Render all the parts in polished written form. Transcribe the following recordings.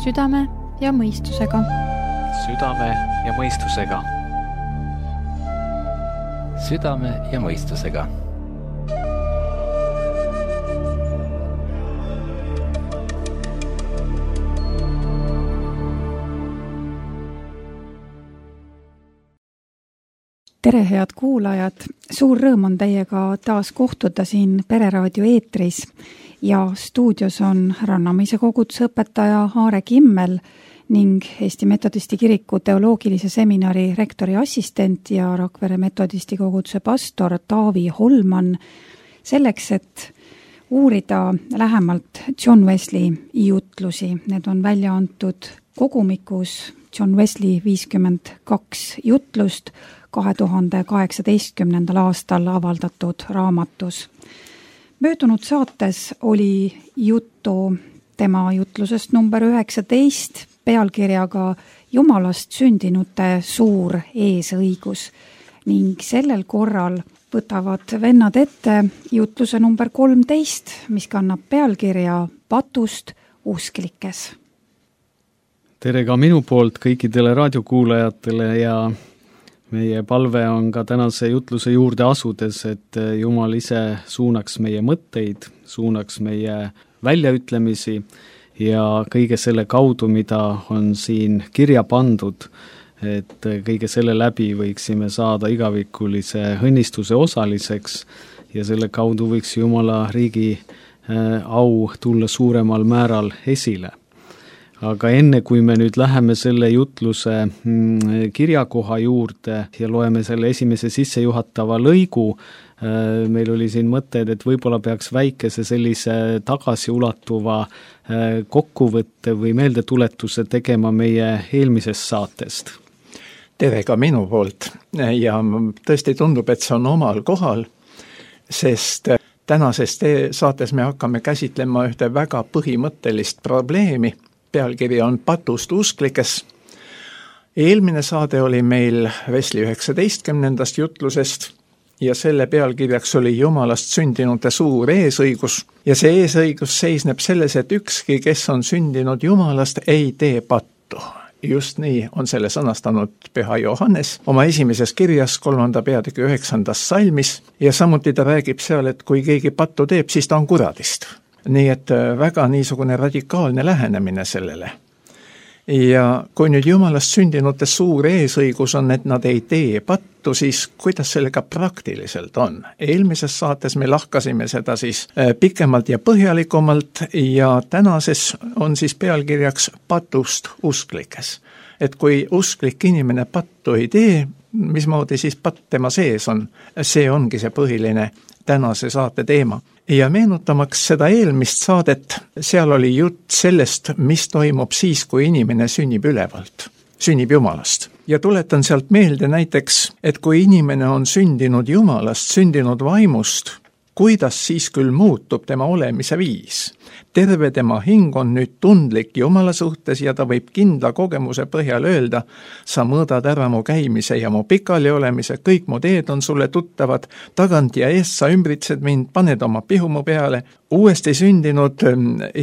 Südame ja mõistusega. Südame ja mõistusega. Südame ja mõistusega. Tere, head kuulajad! Suur rõõm on teiega taas kohtuda siin Pereraadio eetris ja stuudios on Rannamäise koguduse õpetaja Aare Kimmel ning Eesti Metodisti Kiriku teoloogilise seminari rektori assistent ja Rakvere Metodisti koguduse pastor Taavi Holman selleks, et uurida lähemalt John Wesley jutlusi. Need on välja antud kogumikus John Wesley 52 jutlust 2018. aastal avaldatud raamatus. Möödunud saates oli juttu tema jutlusest number 19 pealkirjaga Jumalast sündinute suur eesõigus ning sellel korral võtavad vennad ette jutluse number 13, mis kannab pealkirja Patust usklikes. Tere ka minu poolt kõikidele raadiokuulajatele ja meie palve on ka tänase jutluse juurde asudes, et Jumal ise suunaks meie mõtteid, suunaks meie väljaütlemisi ja kõige selle kaudu, mida on siin kirja pandud, et kõige selle läbi võiksime saada igavikulise õnnistuse osaliseks ja selle kaudu võiks Jumala riigi au tulla suuremal määral esile. Aga enne, kui me nüüd läheme selle jutluse kirjakoha juurde ja loeme selle esimese sissejuhatava lõigu, meil oli siin mõtted, et võib-olla peaks väikese sellise tagasiulatuva kokkuvõtte või meeldetuletuse tegema meie eelmisest saatest. Tere ka minu poolt ja tõesti tundub, et see on omal kohal, sest tänases saates me hakkame käsitlema ühte väga põhimõttelist probleemi. Pealkiri on Patust usklikes. Eelmine saade oli meil Wesley 19. jutlusest ja selle pealkirjaks oli Jumalast sündinute suur eesõigus. Ja see eesõigus seisneb selles, et ükski, kes on sündinud Jumalast, ei tee pattu. Just nii on selle sõnastanud Püha Johannes oma esimeses kirjas 3. peatüki 9. salmis ja samuti ta räägib seal, et kui keegi pattu teeb, siis ta on kuradist. Nii et väga niisugune radikaalne lähenemine sellele. Ja kui nüüd Jumalast sündinute suur eesõigus on, et nad ei tee pattu, siis kuidas sellega praktiliselt on? Eelmises saates me lahkasime seda siis pikemalt ja põhjalikumalt ja tänases on siis pealkirjaks Patust usklikes. Et kui usklik inimene pattu ei tee, mismoodi siis patt tema sees on? See ongi see põhiline tänase saate teema. Ja meenutamaks seda eelmist saadet, seal oli jutt sellest, mis toimub siis, kui inimene sünnib ülevalt, sünnib Jumalast. Ja tuletan sealt meelde näiteks, et kui inimene on sündinud Jumalast, sündinud vaimust, kuidas siis küll muutub tema olemise viis? Terve tema hing on nüüd tundlik Jumala suhtes ja ta võib kindla kogemuse põhjal öelda, sa mõõdad ära mu käimise ja mu pikali olemise, kõik mu teed on sulle tuttavad, tagant ja eest sa ümbritsed mind, paned oma pihu mu peale. Uuesti sündinud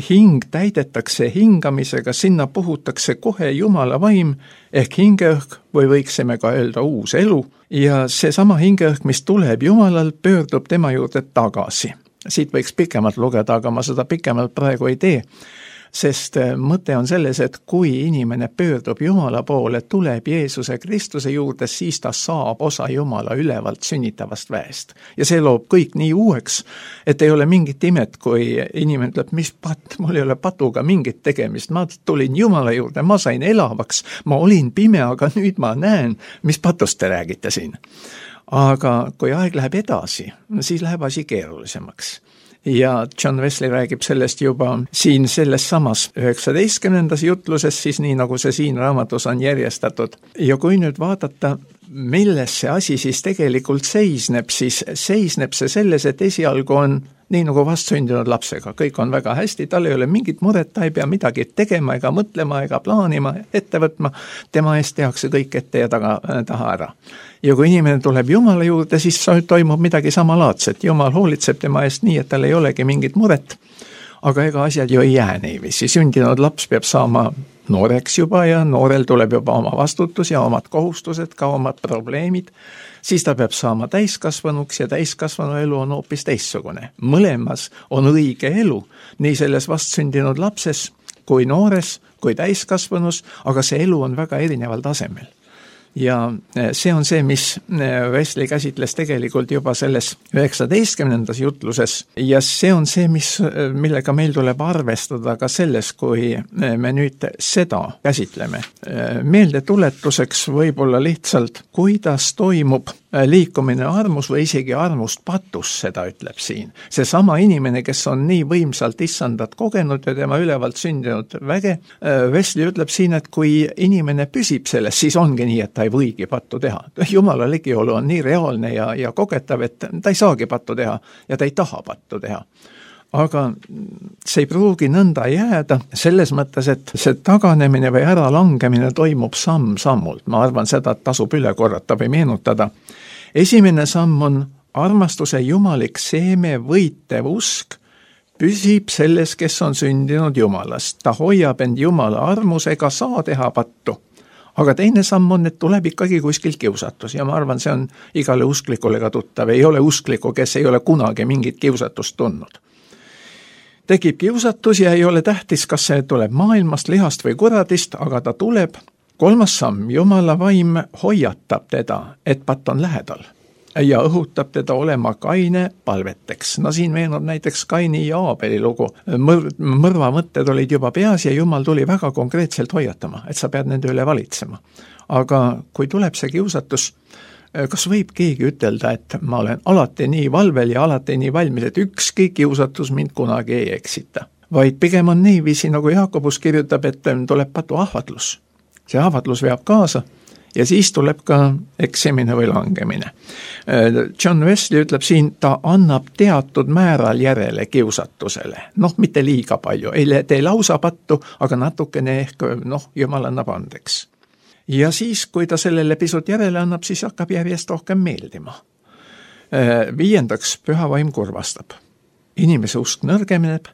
hing täidetakse hingamisega, sinna puhutakse kohe Jumala vaim ehk hingeõhk või võiksime ka öelda uus elu ja seesama hingeõhk, mis tuleb Jumalalt, pöördub tema juurde tagasi. Siit võiks pikemalt lugeda, aga ma seda pikemalt praegu ei tee, sest mõte on selles, et kui inimene pöördub Jumala poole, tuleb Jeesuse Kristuse juurde, siis ta saab osa Jumala ülevalt sünnitavast väest. Ja see loob kõik nii uueks, et ei ole mingit imet, kui inimene ütleb, mis patt, mul ei ole patuga mingit tegemist, ma tulin Jumala juurde, ma sain elavaks, ma olin pime, aga nüüd ma näen, mis patust te räägite siin. Aga kui aeg läheb edasi, siis läheb asi keerulisemaks. Ja John Wesley räägib sellest juba siin selles samas 19. jutluses, siis nii nagu see siin raamatus on järjestatud. Ja kui nüüd vaadata, milles see asi siis tegelikult seisneb, siis seisneb see selles, et esialgu on nii nagu vastsündinud lapsega. Kõik on väga hästi, tal ei ole mingit muret, ta ei pea midagi tegema ega mõtlema ega plaanima, ette võtma. Tema eest tehakse kõik ette ja taha ära. Ja kui inimene tuleb Jumala juurde, siis toimub midagi samalaadset. Jumal hoolitseb tema eest nii, et tal ei olegi mingit muret. aga ega asjad ju ei jää niiviisi, sündinud laps peab saama nooreks juba ja noorel tuleb juba oma vastutus ja omad kohustused, ka omad probleemid, siis ta peab saama täiskasvanuks ja täiskasvanu elu on hoopis teistsugune. Mõlemas on õige elu, nii selles vastsündinud lapses kui noores, kui täiskasvanus, aga see elu on väga erineval tasemel. Ja see on see, mis Wesley käsitles tegelikult juba selles 19. jutluses ja see on see, millega meil tuleb arvestada ka selles, kui me nüüd seda käsitleme. Meeldetuletuseks võib-olla lihtsalt, kuidas toimub liikumine armus või isegi armust patus, seda ütleb siin. See sama inimene, kes on nii võimsalt issandat kogenud ja tema ülevalt sündinud väge, Wesley ütleb siin, et kui inimene püsib selles, siis ongi nii, et ta ei võigi pattu teha. Jumala ligiolu on nii reaalne ja kogetav, et ta ei saagi pattu teha ja ta ei taha pattu teha. Aga see ei pruugi nõnda jääda selles mõttes, et see taganemine või äralangemine toimub samm-sammult. Ma arvan seda, et tasub üle korrata või meenutada. Esimene samm on armastuse jumalik seeme võitev usk, püsib selles, kes on sündinud Jumalast. Ta hoiab end Jumala armusega, saa teha pattu. Aga teine samm on, et tuleb ikkagi kuskilt kiusatus ja ma arvan, see on igale usklikule ka tuttav. Ei ole uskliku, kes ei ole kunagi mingit kiusatust tundnud. Tekib kiusatus ja ei ole tähtis, kas see tuleb maailmast, lihast või kuradist, aga ta tuleb. Kolmas samm, Jumala vaim hoiatab teda, et patt on lähedal ja õhutab teda olema kaine palveteks. No siin meenub näiteks Kaini ja Aabeli lugu. Mõrva mõtted olid juba peas ja Jumal tuli väga konkreetselt hoiatama, et sa pead nende üle valitsema. Aga kui tuleb see kiusatus, kas võib keegi ütelda, et ma olen alati nii valvel ja alati nii valmis, et ükski kiusatus mind kunagi ei eksita. Vaid pigem on niiviisi, nagu Jaakobus kirjutab, et tuleb patu ahvatlus. See ahvatlus veab kaasa ja siis tuleb ka eksimine või langemine. John Wesley ütleb siin, ta annab teatud määral järele kiusatusele. Mitte liiga palju, ei tee lausa pattu, aga natukene ehk, Jumal annab andeks. Ja siis, kui ta sellele pisut järele annab, siis hakkab järjest rohkem meeldima. 5. püha vaim kurvastab. Inimese usk nõrgemeneb,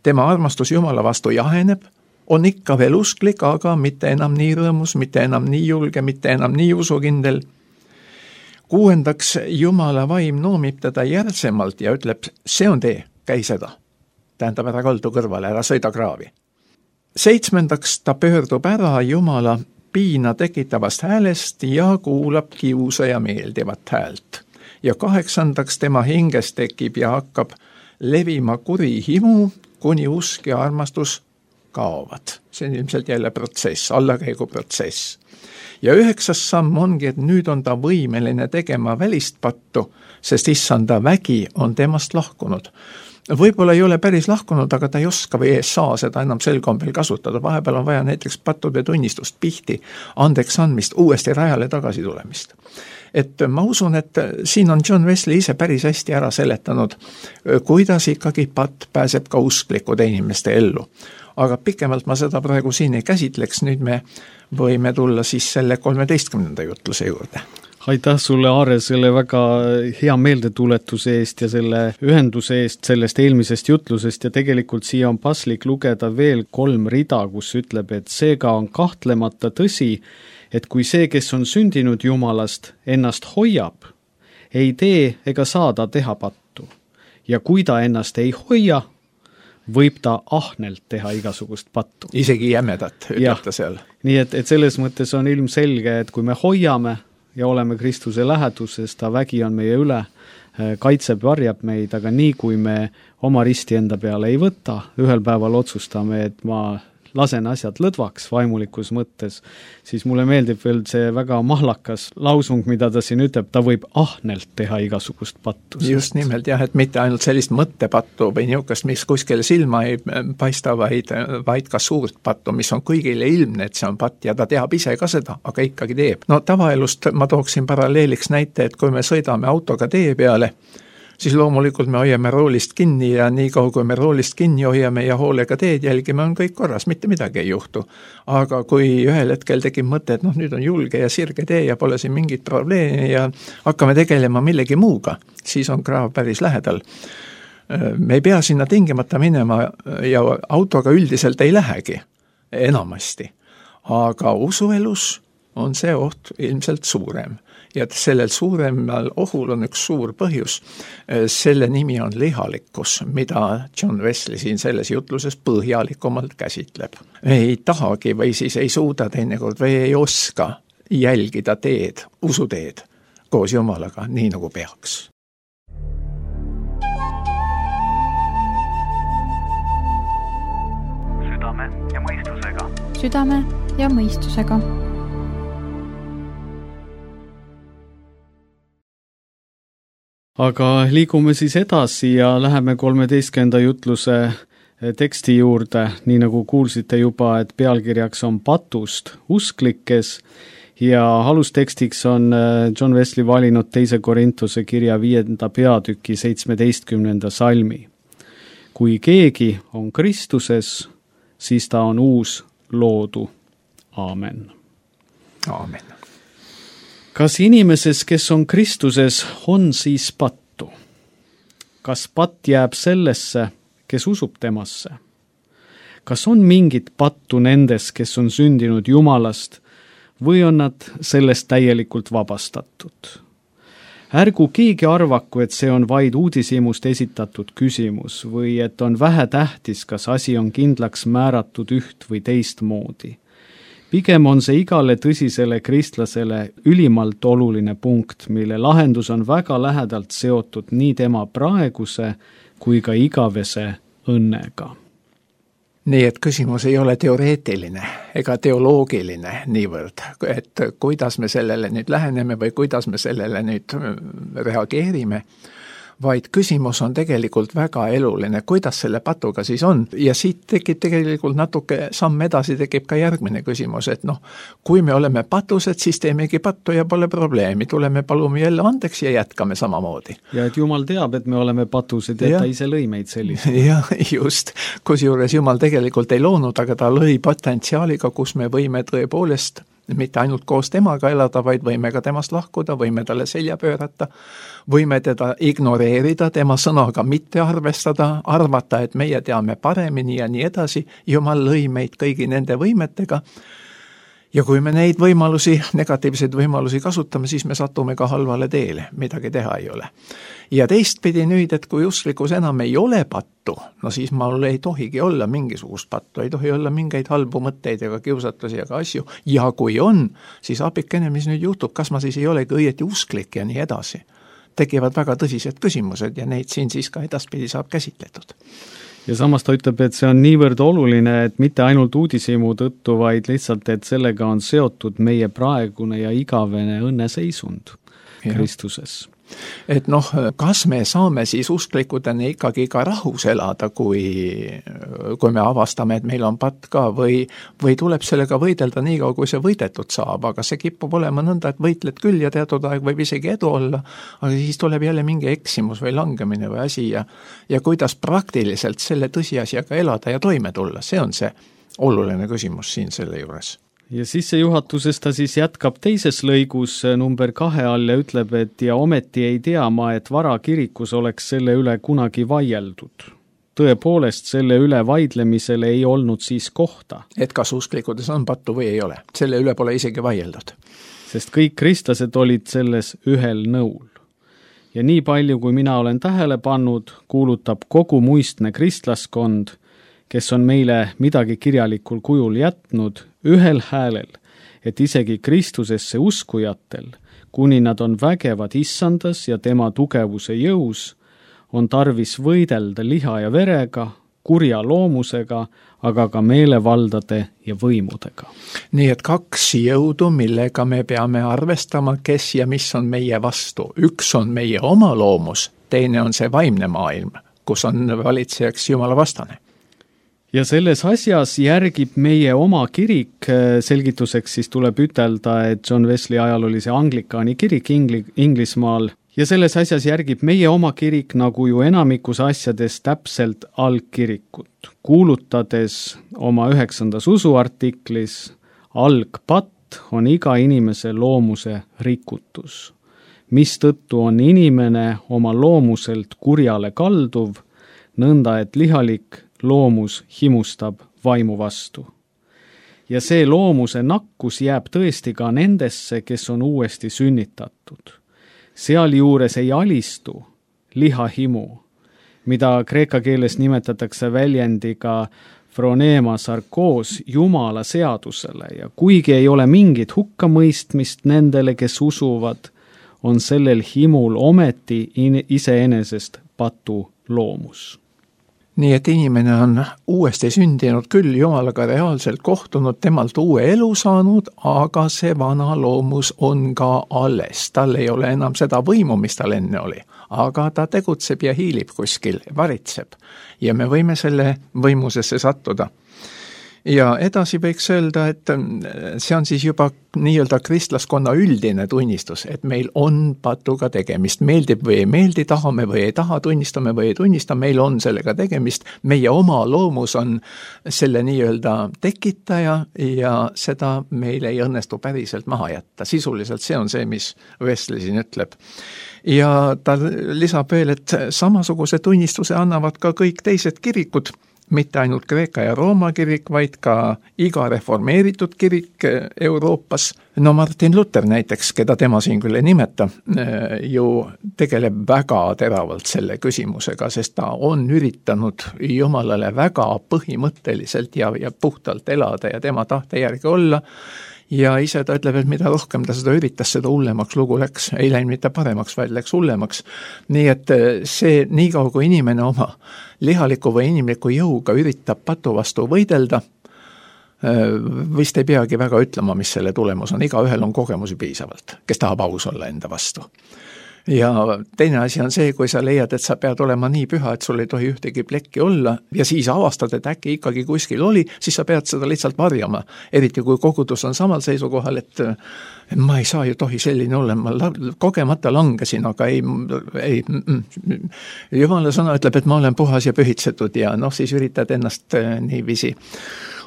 tema armastus Jumala vastu jaheneb, on ikka veel usklik, aga mitte enam nii rõõmus, mitte enam nii julge, mitte enam nii usukindel. 6. Jumala vaim noomib teda järsemalt ja ütleb, see on tee, käi seda. Tähendab, ära kaldu kõrvale, ära sõida kraavi. 7. ta pöördub ära Jumala piina tekitavast häälest ja kuulab kiusa ja meeldivat häält. Ja 8. tema hinges tekib ja hakkab levima kuri himu, kuni usk ja armastus kaovad. See on ilmselt jälle protsess, allakäigu protsess. Ja 9. samm ongi, et nüüd on ta võimeline tegema välist pattu, sest issanda vägi on temast lahkunud. Võib-olla ei ole päris lahkunud, aga ta ei oska või ei saa seda enam sel kombel kasutada. Vahepeal on vaja näiteks pattude tunnistust, pihti, andeks andmist, uuesti rajale tagasi tulemist. Et ma usun, et siin on John Wesley ise päris hästi ära seletanud, kuidas ikkagi patt pääseb ka usklikude inimeste ellu. Aga pikemalt ma seda praegu siin ei käsitleks, nüüd me võime tulla siis selle 13. jutluse juurde. Aitäh sulle, Aare, selle väga hea meeldetuletuse eest ja selle ühenduse eest sellest eelmisest jutlusest ja tegelikult siia on paslik lugeda veel 3 rida, kus ütleb, et seega on kahtlemata tõsi, et kui see, kes on sündinud Jumalast, ennast hoiab, ei tee ega saada teha pattu. Ja kui ta ennast ei hoia, võib ta ahnelt teha igasugust pattu. Isegi jämedat, ütleb ta seal. Nii et selles mõttes on ilmselge, et kui me hoiame ja oleme Kristuse läheduses, ta vägi on meie üle, kaitseb, varjab meid, aga nii kui me oma risti enda peale ei võta, ühel päeval otsustame, et ma lasen asjad lõdvaks vaimulikus mõttes, siis mulle meeldib veel see väga mahlakas lausung, mida ta siin ütleb, ta võib ahnelt teha igasugust pattu. Just nimelt jah, et mitte ainult sellist mõttepattu või niisugust, mis kuskile silma ei paista, vaid ka suurt pattu, mis on kõigile ilmne, et see on patt ja ta teab ise ka seda, aga ikkagi teeb. No tavaelust ma tooksin paralleeliks näite, et kui me sõidame autoga tee peale, siis loomulikult me hoiame roolist kinni ja nii kaua, kui me roolist kinni hoiame ja hoolega teed jälgime, on kõik korras, mitte midagi ei juhtu. Aga kui ühel hetkel tekib mõte, et nüüd on julge ja sirge tee ja pole siin mingit probleemi ja hakkame tegelema millegi muuga, siis on kraav päris lähedal. Me ei pea sinna tingimata minema ja autoga üldiselt ei lähegi enamasti, aga usuelus on see oht ilmselt suurem. Ja sellel suuremal ohul on üks suur põhjus. Selle nimi on lihalikkus, mida John Wesley siin selles jutluses põhjalikumalt käsitleb. Ei tahagi või siis ei suuda teinekord või ei oska jälgida teed, usuteed koos Jumalaga, nii nagu peaks. Südame ja mõistusega. Südame ja mõistusega. Aga liigume siis edasi ja läheme 13. jutluse teksti juurde, nii nagu kuulsite juba, et pealkirjaks on patust usklikes ja alustekstiks on John Wesley valinud 2. Korintuse kirja 5. peatüki 17. salmi. Kui keegi on Kristuses, siis ta on uus loodu. Aamen. Aamen. Kas inimeses, kes on Kristuses, on siis pattu? Kas patt jääb sellesse, kes usub temasse? Kas on mingit pattu nendes, kes on sündinud Jumalast, või on nad sellest täielikult vabastatud? Ärgu keegi arvaku, et see on vaid uudishimust esitatud küsimus või et on vähetähtis, kas asi on kindlaks määratud üht või teist moodi. Pigem on see igale tõsisele kristlasele ülimalt oluline punkt, mille lahendus on väga lähedalt seotud nii tema praeguse kui ka igavese õnnega. Nii et küsimus ei ole teoreetiline ega teoloogiline niivõrd, et kuidas me sellele nüüd läheneme või kuidas me sellele nüüd reageerime, vaid küsimus on tegelikult väga eluline, kuidas selle patuga siis on. Ja siit tekib tegelikult natuke samm edasi, tekib ka järgmine küsimus, et kui me oleme patused, siis teemegi pattu ja pole probleemi, tuleme palume jälle andeks ja jätkame samamoodi. Ja et Jumal teab, et me oleme patused ja ta ise lõi meid sellised. Ja just, kusjuures Jumal tegelikult ei loonud, aga ta lõi potentsiaaliga, kus me võime tõepoolest mitte ainult koos temaga elada, vaid võime ka temast lahkuda, võime talle selja pöörata, võime teda ignoreerida, tema sõnaga mitte arvestada, arvata, et meie teame paremini ja nii edasi. Jumal lõi meid kõigi nende võimetega ja kui me neid võimalusi, negatiivseid võimalusi kasutame, siis me satume ka halvale teele, midagi teha ei ole. Ja teistpidi nüüd, et kui usklikus enam ei ole pattu, siis mul ei tohigi olla mingisugust pattu, ei tohi olla mingeid halbu mõtteid ega kiusatusi ega asju. Ja kui on, siis apikene, mis nüüd juhtub, kas ma siis ei olegi õieti usklik ja nii edasi. Tekivad väga tõsised küsimused ja neid siin siis ka edaspidi saab käsitletud. Ja samas ta ütleb, et see on niivõrd oluline, et mitte ainult uudishimu tõttu, vaid lihtsalt, et sellega on seotud meie praegune ja igavene õnneseisund Kristuses. Et kas me saame siis usklikudena ikkagi ka rahus elada, kui me avastame, et meil on patt ka või tuleb sellega võidelda nii kaua, kui see võidetud saab, aga see kipub olema nõnda, et võitled küll ja teatud aeg võib isegi edu olla, aga siis tuleb jälle mingi eksimus või langemine või asi ja kuidas praktiliselt selle tõsiasjaga elada ja toime tulla, see on see oluline küsimus siin selle juures. Ja sissejuhatuses ta siis jätkab teises lõigus number 2 all ja ütleb, et ja ometi ei tea ma, et varakirikus oleks selle üle kunagi vaieldud. Tõepoolest selle üle vaidlemisele ei olnud siis kohta. Et kas usklikudes on pattu või ei ole, selle üle pole isegi vaieldud. Sest kõik kristlased olid selles ühel nõul. Ja nii palju, kui mina olen tähele pannud, kuulutab kogu muistne kristlaskond, kes on meile midagi kirjalikul kujul jätnud, ühel häälel, et isegi Kristusesse uskujatel, kuni nad on vägevad issandas ja tema tugevuse jõus, on tarvis võidelda liha ja verega, kurja loomusega, aga ka meelevaldade ja võimudega. Nii et 2 jõudu, millega me peame arvestama, kes ja mis on meie vastu. Üks on meie oma loomus, teine on see vaimne maailm, kus on valitsejaks Jumala vastane. Ja selles asjas järgib meie oma kirik, selgituseks siis tuleb ütelda, et John Wesley ajal oli see Anglikaani kirik Inglismaal, ja selles asjas järgib meie oma kirik nagu ju enamikus asjades täpselt algkirikut, kuulutades oma 9. usuartiklis, algpatt on iga inimese loomuse rikutus, mistõttu on inimene oma loomuselt kurjale kalduv, nõnda et lihalik loomus himustab vaimu vastu. Ja see loomuse nakkus jääb tõesti ka nendesse, kes on uuesti sünnitatud. Sealjuures ei alistu lihahimu, mida kreeka keeles nimetatakse väljendiga phronema sarkoos Jumala seadusele ja kuigi ei ole mingit hukkamõistmist nendele, kes usuvad, on sellel himul ometi iseenesest patu loomus. Nii et inimene on uuesti sündinud küll, Jumalaga reaalselt kohtunud, temalt uue elu saanud, aga see vana loomus on ka alles. Tal ei ole enam seda võimu, mis tal enne oli, aga ta tegutseb ja hiilib kuskil, varitseb ja me võime selle võimusesse sattuda. Ja edasi võiks öelda, et see on siis juba nii-öelda kristlaskonna üldine tunnistus, et meil on patuga tegemist, meeldib või ei meeldi, tahame või ei taha, tunnistame või ei tunnista, meil on sellega tegemist, meie oma loomus on selle nii-öelda tekitaja ja seda meil ei õnnestu päriselt maha jätta. Sisuliselt see on see, mis Wesley siin ütleb. Ja ta lisab veel, et samasuguse tunnistuse annavad ka kõik teised kirikud, mitte ainult Kreeka ja Rooma kirik, vaid ka iga reformeeritud kirik Euroopas. No Martin Luther näiteks, keda tema siin küll ei nimeta, ju tegeleb väga teravalt selle küsimusega, sest ta on üritanud Jumalale väga põhimõtteliselt ja puhtalt elada ja tema tahte järgi olla. Ja ise ta ütleb, et mida rohkem ta seda üritas, seda hullemaks lugu läks. Ei läinud mitte paremaks, vaid läks hullemaks. Nii et see nii kaua, kui inimene oma lihaliku või inimliku jõuga üritab patu vastu võidelda, vist ei peagi väga ütlema, mis selle tulemus on. Igaühel on kogemusi piisavalt, kes tahab aus olla enda vastu. Ja teine asi on see, kui sa leiad, et sa pead olema nii püha, et sul ei tohi ühtegi plekki olla ja siis avastad, et äkki ikkagi kuskil oli, siis sa pead seda lihtsalt varjama. Eriti kui kogudus on samal seisukohal, et ma ei saa ju tohi selline olla, ma kogemata langesin, aga ei. Jumala sõna ütleb, et ma olen puhas ja pühitsetud ja siis üritad ennast niiviisi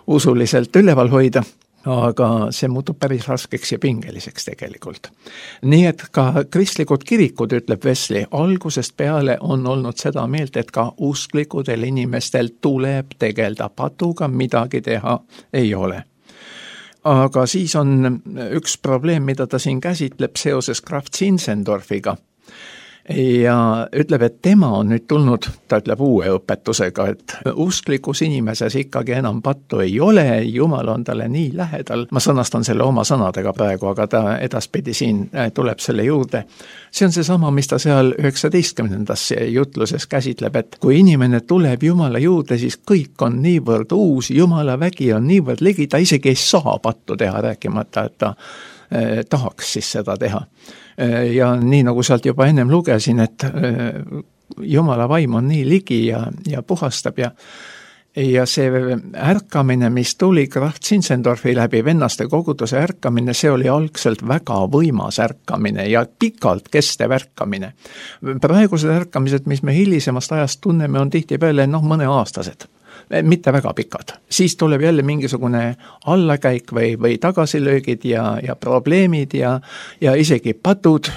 usuliselt üleval hoida. Aga see muutub päris raskeks ja pingeliseks tegelikult. Nii et ka kristlikud kirikud, ütleb Wesley, algusest peale on olnud seda meelt, et ka usklikudel inimestel tuleb tegelda patuga, midagi teha ei ole. Aga siis on üks probleem, mida ta siin käsitleb seoses Graf Zinzendorfiga. Ja ütleb, et tema on nüüd tulnud, ta ütleb uue õpetusega, et usklikus inimeses ikkagi enam pattu ei ole, Jumal on talle nii lähedal. Ma sõnastan selle oma sõnadega praegu, aga ta edaspidi siin tuleb selle juurde. See on see sama, mis ta seal 19. jutluses käsitleb, et kui inimene tuleb Jumala juurde, siis kõik on niivõrd uus, Jumala vägi on niivõrd ligi, ta isegi ei saa pattu teha, rääkimata, et ta tahaks siis seda teha. Ja nii nagu sealt juba ennem lugesin, et Jumala vaim on nii ligi ja puhastab ja see ärkamine, mis tuli Graf Zinzendorfi läbi vennaste koguduse ärkamine, see oli algselt väga võimas ärkamine ja pikalt kestev ärkamine. Praegused ärkamised, mis me hilisemast ajast tunneme, on tihtipeale mõneaastased. Mitte väga pikad. Siis tuleb jälle mingisugune allakäik või tagasilöögid ja probleemid ja isegi patud,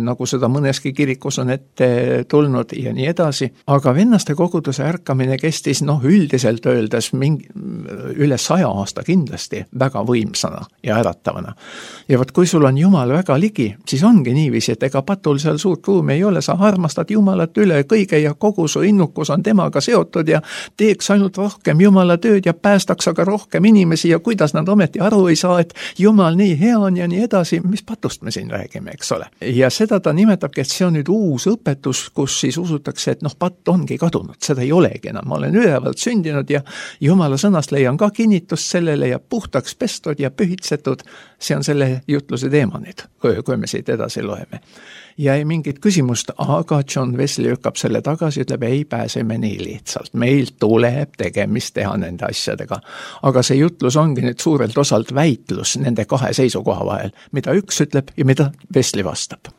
nagu seda mõneski kirikus on ette tulnud ja nii edasi. Aga vennaste koguduse ärkamine kestis üldiselt öeldes üle 100 aasta kindlasti väga võimsana ja äratavana. Ja võt, kui sul on Jumal väga ligi, siis ongi niiviisi, et ega patul seal suurt ruumi ei ole, sa armastad Jumalat üle kõige ja kogu su innukus on temaga seotud ja teeks ainult rohkem Jumala tööd ja päästaks aga rohkem inimesi ja kuidas nad ometi aru ei saa, et Jumal nii hea on ja nii edasi, mis patust me siin räägime, eks ole. Ja seda ta nimetabki, et see on nüüd uus õpetus, kus siis usutakse, et patt ongi kadunud, seda ei olegi enam, ma olen ülevalt sündinud ja Jumala sõnast leian ka kinnitust sellele ja puhtaks pestud ja pühitsetud, see on selle jutluse teema nüüd, kui me siit edasi loeme. Ja ei mingit küsimust, aga John Wesley lükkab selle tagasi, ütleb, ei pääseme nii lihtsalt. Meil tuleb tegemist teha nende asjadega. Aga see jutlus ongi nüüd suurelt osalt väitlus nende kahe seisukoha vahel, mida üks ütleb ja mida Wesley vastab.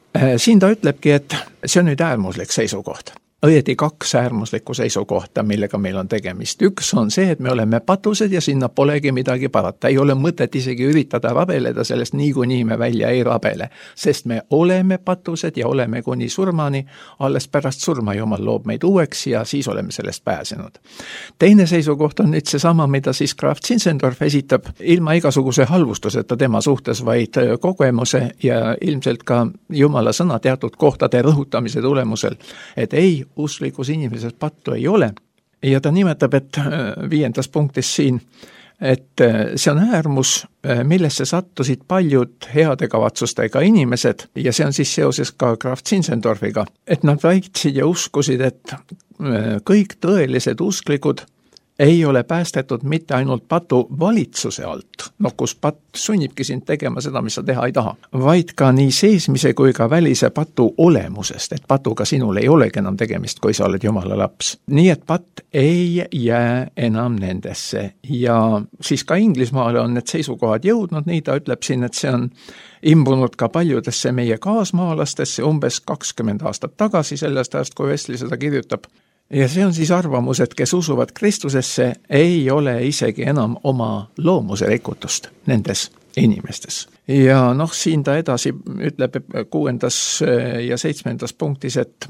Siin ta ütlebki, et see on nüüd äärmuslik seisukoht. õieti kaks äärmuslikku seisukohta, millega meil on tegemist. Üks on see, et me oleme patused ja sinna polegi midagi parata. Ei ole mõtet isegi üritada rabeleda, sellest niikuinii me välja ei rabele, sest me oleme patused ja oleme kuni surmani, alles pärast surma Jumal loob meid uueks ja siis oleme sellest pääsenud. Teine seisukoht on nüüd seesama, mida siis Graf Zinzendorf esitab ilma igasuguse halvustuseta tema suhtes, vaid kogemuse ja ilmselt ka Jumala sõna teatud kohtade rõhutamise tulemusel, et ei, usklikus inimeses pattu ei ole. Ja ta nimetab, et 5. punktis siin, et see on äärmus, millesse sattusid paljud heade kavatsustega inimesed ja see on siis seoses ka Graf Zinzendorfiga, et nad väitsid ja uskusid, et kõik tõelised usklikud ei ole päästetud mitte ainult patu valitsuse alt, kus patt sunnibki sind tegema seda, mis sa teha ei taha, vaid ka nii seesmise kui ka välise patu olemusest, et patuga sinul ei olegi enam tegemist, kui sa oled Jumala laps. Nii et patt ei jää enam nendesse ja siis ka Inglismaale on need seisukohad jõudnud, nii ta ütleb siin, et see on imbunud ka paljudesse meie kaasmaalastesse umbes 20 aastat tagasi, sellest ajast, kui Wesley seda kirjutab. Ja see on siis arvamus, et kes usuvad Kristusesse, ei ole isegi enam oma loomuse rikutust nendes inimestes. Ja siin ta edasi ütleb 6. ja 7. punktis, et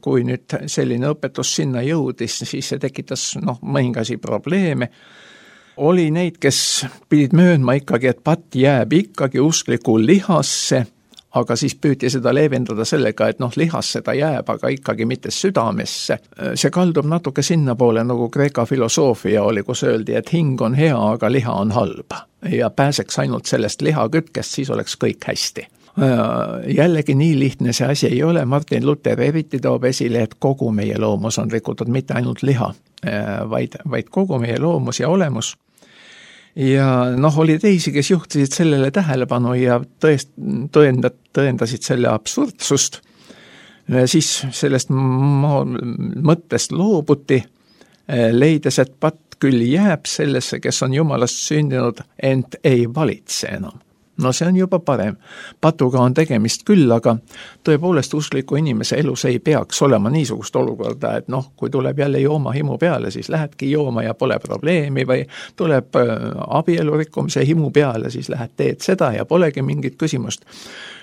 kui nüüd selline õpetus sinna jõudis, siis see tekitas mõningasi probleeme. Oli neid, kes pidid möönma ikkagi, et patt jääb ikkagi uskliku lihasse, aga siis püüti seda leevendada sellega, et lihasse ta jääb, aga ikkagi mitte südamesse. See kaldub natuke sinna poole, nagu Kreeka filosoofia oli, kus öeldi, et hing on hea, aga liha on halb. Ja pääseks ainult sellest lihakütkest, siis oleks kõik hästi. Jällegi nii lihtne see asi ei ole. Martin Luther eriti toob esile, et kogu meie loomus on rikutud, mitte ainult liha, vaid kogu meie loomus ja olemus. Ja oli teisi, kes juhtisid sellele tähelepanu ja tõendasid selle absurdsust. Siis sellest mõttest loobuti, leides, et patt küll jääb sellesse, kes on Jumalast sündinud, ent ei valitse enam. See on juba parem. Patuga on tegemist küll, aga tõepoolest uskliku inimese elus ei peaks olema niisugust olukorda, et kui tuleb jälle jooma himu peale, siis lähedki jooma ja pole probleemi või tuleb abielu rikkumise himu peale, siis lähed teed seda ja polegi mingit küsimust.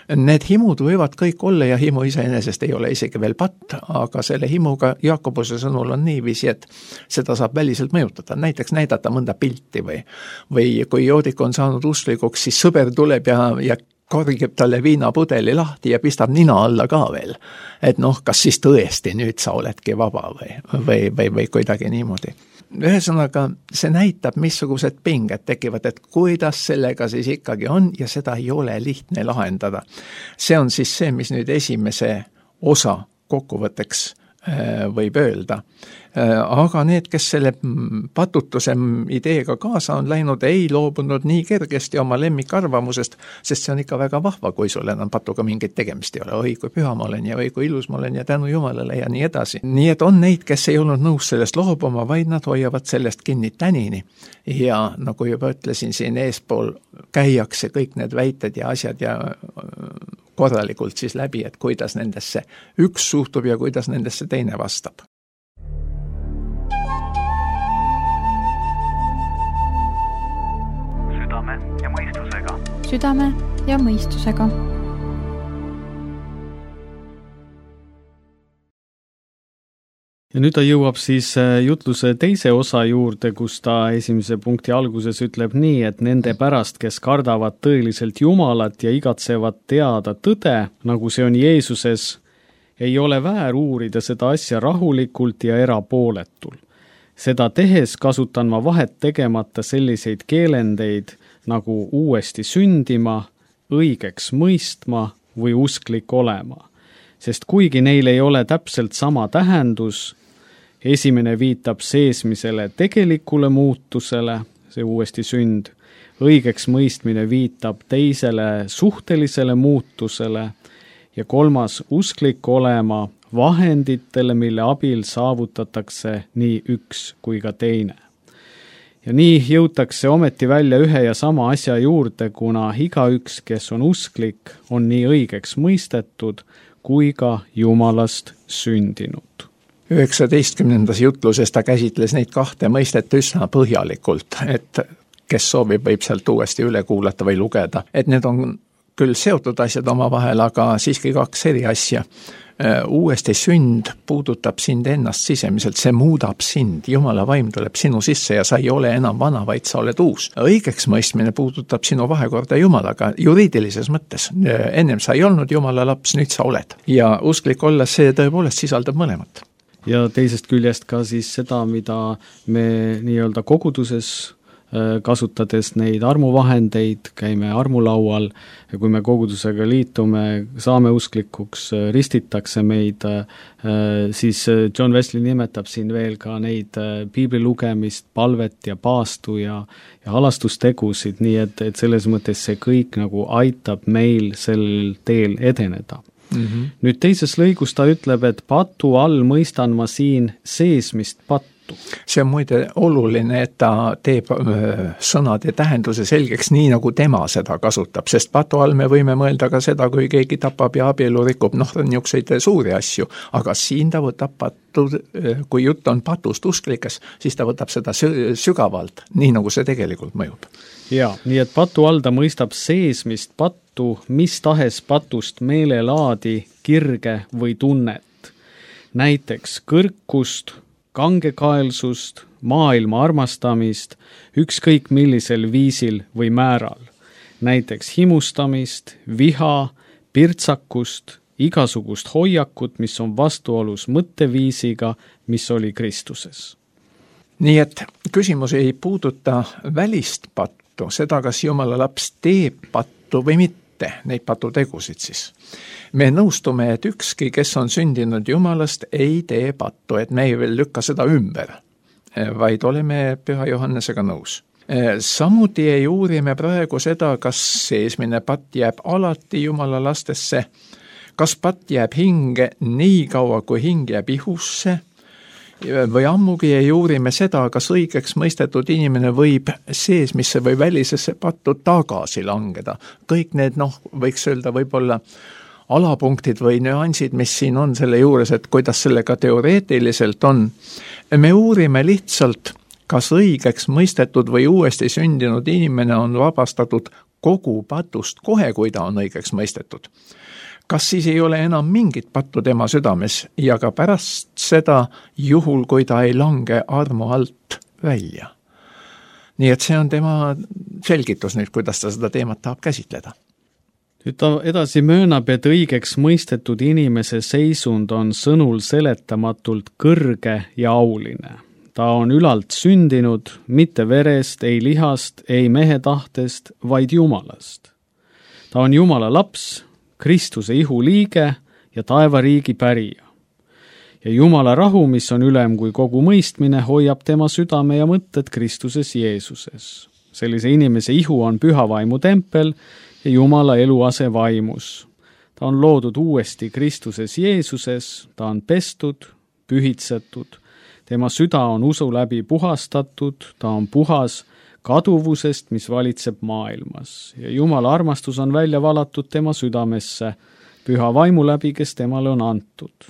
Need himud võivad kõik olla ja himu iseenesest ei ole isegi veel patt, aga selle himuga Jaakobuse sõnul on niiviisi, et seda saab väliselt mõjutada. Näiteks näidata mõnda pilti või kui joodik on saanud usklikuks, siis sõber tuleb ja korgib talle viinapudeli lahti ja pistab nina alla ka veel. Et kas siis tõesti nüüd sa oledki vaba või kuidagi niimoodi. Ühesõnaga, see näitab, missugused pinged tekivad, et kuidas sellega siis ikkagi on ja seda ei ole lihtne lahendada. See on siis see, mis nüüd esimese osa kokkuvõtteks võib öelda. Aga need, kes selle patutuse ideega kaasa on läinud, ei loobunud nii kergesti oma lemmikarvamusest, sest see on ikka väga vahva, kui sul enam patuga mingit tegemist ei ole. Oi, kui püha ma olen ja oi, kui ilus ma olen ja tänu Jumalale ja nii edasi. Nii et on neid, kes ei olnud nõus sellest loobuma, vaid nad hoiavad sellest kinni tänini. Ja nagu juba ütlesin, siin eespool käiakse kõik need väited ja asjad ja korralikult siis läbi, et kuidas nendesse üks suhtub ja kuidas nendesse teine vastab. Südame ja mõistusega. Südame ja mõistusega. Ja nüüd ta jõuab siis jutluse teise osa juurde, kus ta esimese punkti alguses ütleb nii, et nende pärast, kes kardavad tõeliselt Jumalat ja igatsevad teada tõde, nagu see on Jeesuses, ei ole väär uurida seda asja rahulikult ja erapooletul. Seda tehes kasutan ma vahet tegemata selliseid keelendeid nagu uuesti sündima, õigeks mõistma või usklik olema. Sest kuigi neil ei ole täpselt sama tähendus, esimene viitab seesmisele tegelikule muutusele, see uuesti sünd, õigeks mõistmine viitab teisele suhtelisele muutusele ja kolmas usklik olema vahenditele, mille abil saavutatakse nii üks kui ka teine. Ja nii jõutakse ometi välja ühe ja sama asja juurde, kuna igaüks, kes on usklik, on nii õigeks mõistetud kui ka Jumalast sündinud. 19. jutluses ta käsitles neid kahte mõistet üsna põhjalikult, et kes soovib, võib sealt uuesti üle kuulata või lugeda. Et need on küll seotud asjad omavahel, aga siiski kaks eri asja. Uuesti sünd puudutab sind ennast sisemiselt, see muudab sind, Jumala vaim tuleb sinu sisse ja sa ei ole enam vana, vaid sa oled uus. Õigeks mõistmine puudutab sinu vahekorda Jumalaga juriidilises mõttes. Ennem sa ei olnud Jumala laps, nüüd sa oled. Ja usklik olla, see tõepoolest sisaldab mõlemat. Ja teisest küljest ka siis seda, mida me nii-öelda koguduses kasutades neid armuvahendeid, käime armulaual ja kui me kogudusega liitume, saame usklikuks, ristitakse meid, siis John Wesley nimetab siin veel ka neid piibli lugemist, palvet ja paastu ja halastustegusid, nii et selles mõttes see kõik nagu aitab meil sellel teel edeneda. Nüüd teises lõigus ta ütleb, et patu all mõistan ma siin seesmist pattu. See on muide oluline, et ta teeb sõnade tähenduse selgeks nii, nagu tema seda kasutab, sest patu all me võime mõelda ka seda, kui keegi tapab ja abielu rikub, niisuguseid suuri asju, aga siin ta võtab pattu, kui jutt on patust usklikes, siis ta võtab seda sügavalt, nii nagu see tegelikult mõjub. Ja, nii et patu all ta mõistab seesmist pattu, mis tahes patust meelelaadi, kirge või tunnet. Näiteks kõrkust, kangekaelsust, maailma armastamist, ükskõik millisel viisil või määral. Näiteks himustamist, viha, pirtsakust, igasugust hoiakut, mis on vastuolus mõtteviisiga, mis oli Kristuses. Nii et küsimus ei puuduta välist pattu, seda, kas Jumala laps teeb pattu või mitte, neid patutegusid siis. Me nõustume, et ükski, kes on sündinud Jumalast, ei tee pattu, et me ei veel lükka seda ümber, vaid oleme Püha Johannesega nõus. Samuti ei uurime praegu seda, kas seesmine patt jääb alati Jumala lastesse, kas patt jääb hinge nii kaua, kui hing jääb ihusse, või ammugi ei uurime seda, kas õigeks mõistetud inimene võib seesmisse või välisesse pattu tagasi langeda. Kõik need, võiks öelda võib-olla alapunktid või nüansid, mis siin on selle juures, et kuidas sellega teoreetiliselt on. Me uurime lihtsalt, kas õigeks mõistetud või uuesti sündinud inimene on vabastatud kogu patust kohe, kui ta on õigeks mõistetud. Kas siis ei ole enam mingit pattu tema südames ja ka pärast seda juhul, kui ta ei lange armu alt välja. Nii et see on tema selgitus nüüd, kuidas ta seda teemat tahab käsitleda. Nüüd ta edasi möönab, et õigeks mõistetud inimese seisund on sõnul seletamatult kõrge ja auline. Ta on ülalt sündinud, mitte verest, ei lihast, ei mehe tahtest, vaid Jumalast. Ta on Jumala laps, Kristuse ihu liige ja taevariigi pärija. Ja Jumala rahu, mis on ülem kui kogu mõistmine, hoiab tema südame ja mõtted Kristuses Jeesuses. Sellise inimese ihu on püha vaimu tempel ja Jumala eluase vaimus. Ta on loodud uuesti Kristuses Jeesuses, ta on pestud, pühitsetud. Tema süda on usu läbi puhastatud, ta on puhas kaduvusest, mis valitseb maailmas. Ja Jumala armastus on välja valatud tema südamesse, püha vaimu läbi, kes temale on antud.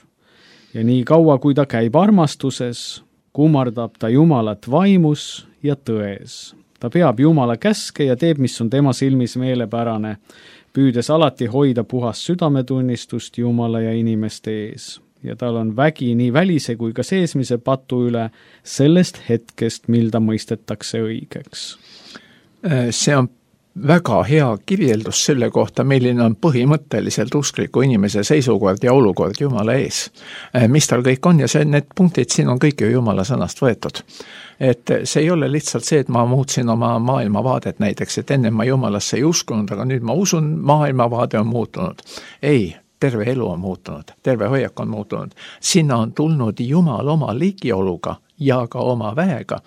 Ja nii kaua, kui ta käib armastuses, kummardab ta Jumalat vaimus ja tões. Ta peab Jumala käske ja teeb, mis on tema silmis meelepärane, püüdes alati hoida puhas südametunnistust Jumala ja inimeste ees. Ja tal on vägi nii välise kui ka seesmise patu üle sellest hetkest, mil ta mõistetakse õigeks. See on väga hea kirjeldus selle kohta, milline on põhimõtteliselt uskliku inimese seisukord ja olukord Jumala ees. Mis tal kõik on ja need punktid siin on kõik ju Jumala sõnast võetud. Et see ei ole lihtsalt see, et ma muutsin oma maailmavaadet näiteks, et enne ma Jumalasse ei uskunud, aga nüüd ma usun, maailmavaade on muutunud. Ei, terve elu on muutunud, terve hoiak on muutunud. Sinna on tulnud Jumal oma ligioluga ja ka oma väega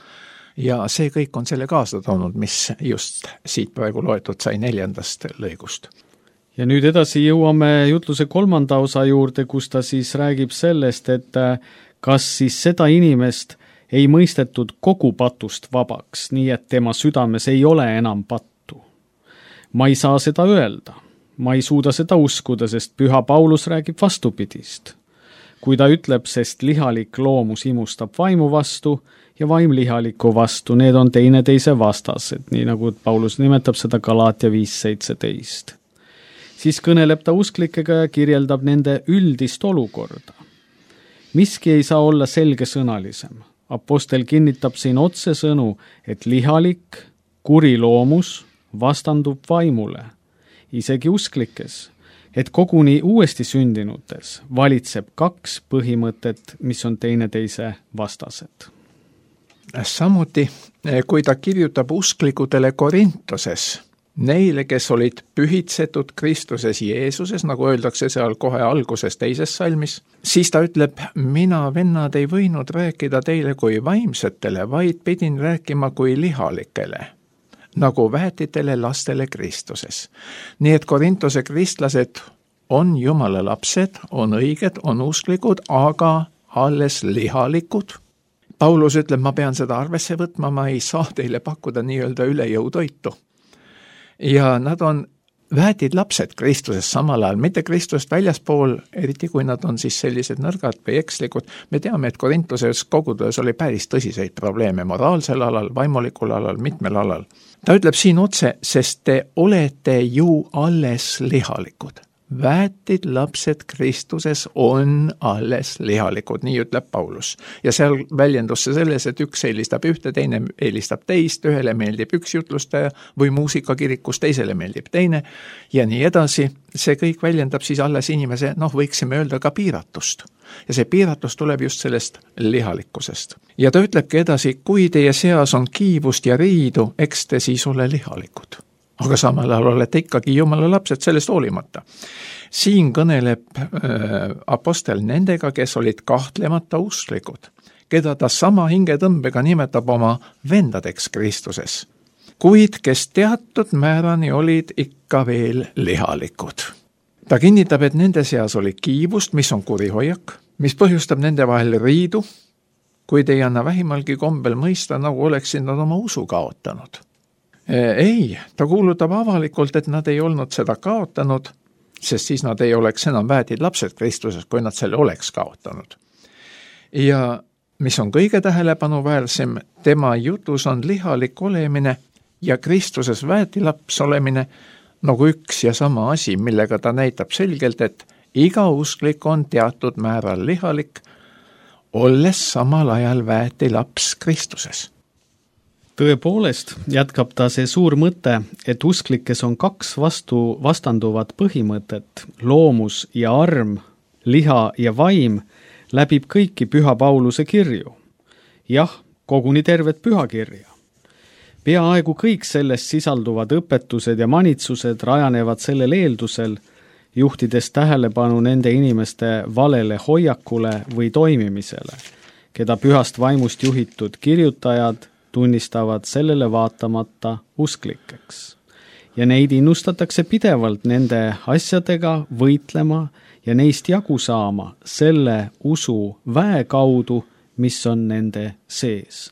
ja see kõik on selle kaasa toonud, mis just siit praegu loetud sai 4. lõigust. Ja nüüd edasi jõuame jutluse 3. osa juurde, kus ta siis räägib sellest, et kas siis seda inimest ei mõistetud kogu patust vabaks, nii et tema südames ei ole enam pattu. Ma ei saa seda öelda. Ma ei suuda seda uskuda, sest Püha Paulus räägib vastupidist. kui ta ütleb, sest lihalik loomus imustab vaimu vastu ja vaim lihaliku vastu, need on teineteise vastased, nii nagu Paulus nimetab seda Galaatia 5:17. Siis kõneleb ta usklikega ja kirjeldab nende üldist olukorda. Miski ei saa olla selgesõnalisem. Apostel kinnitab siin otsesõnu, et lihalik, kuri loomus vastandub vaimule, isegi usklikes, et koguni uuesti sündinutes valitseb kaks põhimõtet, mis on teineteise vastased. Samuti, kui ta kirjutab usklikudele Korintoses, neile, kes olid pühitsetud Kristuses Jeesuses, nagu öeldakse seal kohe alguses teises salmis, siis ta ütleb, mina, vennad, ei võinud rääkida teile kui vaimsetele, vaid pidin rääkima kui lihalikele, nagu väetitele lastele Kristuses. Nii et Korintose kristlased on Jumala lapsed, on õiged, on usklikud, aga alles lihalikud. Paulus ütleb, ma pean seda arvesse võtma, ma ei saa teile pakkuda nii-öelda üle jõu toitu. Ja nad on väetid lapsed Kristuses samal ajal, mitte Kristust väljaspool, eriti kui nad on siis sellised nõrgad või ekslikud. Me teame, et Korintoses koguduses oli päris tõsiseid probleeme moraalsel alal, vaimulikul alal, mitmel alal. Ta ütleb siin otse, sest te olete ju alles lihalikud. Väetid lapsed Kristuses on alles lihalikud, nii ütleb Paulus. Ja seal väljendus see selles, et üks eelistab ühte, teine eelistab teist, ühele meeldib üks jutlustaja või muusikakirikus, teisele meeldib teine ja nii edasi. See kõik väljendab siis alles inimese, võiksime öelda ka piiratust. Ja see piiratus tuleb just sellest lihalikkusest. Ja ta ütlebki edasi, kui teie seas on kiivust ja riidu, eks te siis ole lihalikud. Aga samal ajal olete ikkagi Jumala lapsed sellest hoolimata. Siin kõneleb apostel nendega, kes olid kahtlemata usklikud, keda ta sama hingetõmbega nimetab oma vendadeks Kristuses, kuid kes teatud määrani olid ikka veel lihalikud. Ta kinnitab, et nende seas oli kiivust, mis on kurihoiak, mis põhjustab nende vahel riidu, kuid ei anna vähimalgi kombel mõista, nagu oleksid nad oma usu kaotanud. Ei, ta kuulutab avalikult, et nad ei olnud seda kaotanud, sest siis nad ei oleks enam väetid lapsed Kristuses, kui nad selle oleks kaotanud. Ja mis on kõige tähelepanuväärsem, tema jutus on lihalik olemine ja Kristuses väetilaps olemine nagu üks ja sama asi, millega ta näitab selgelt, et iga usklik on teatud määral lihalik, olles samal ajal väetilaps Kristuses. Tõepoolest jätkab ta see suur mõte, et usklikes on kaks vastanduvat põhimõtet, loomus ja arm, liha ja vaim, läbib kõiki Püha Pauluse kirju. Jah, koguni tervet pühakirja. Peaaegu kõik sellest sisalduvad õpetused ja manitsused rajanevad sellel eeldusel, juhtides tähelepanu nende inimeste valele hoiakule või toimimisele, keda pühast vaimust juhitud kirjutajad tunnistavad sellele vaatamata usklikeks. Ja neid innustatakse pidevalt nende asjadega võitlema ja neist jagu saama selle usu väe kaudu, mis on nende sees.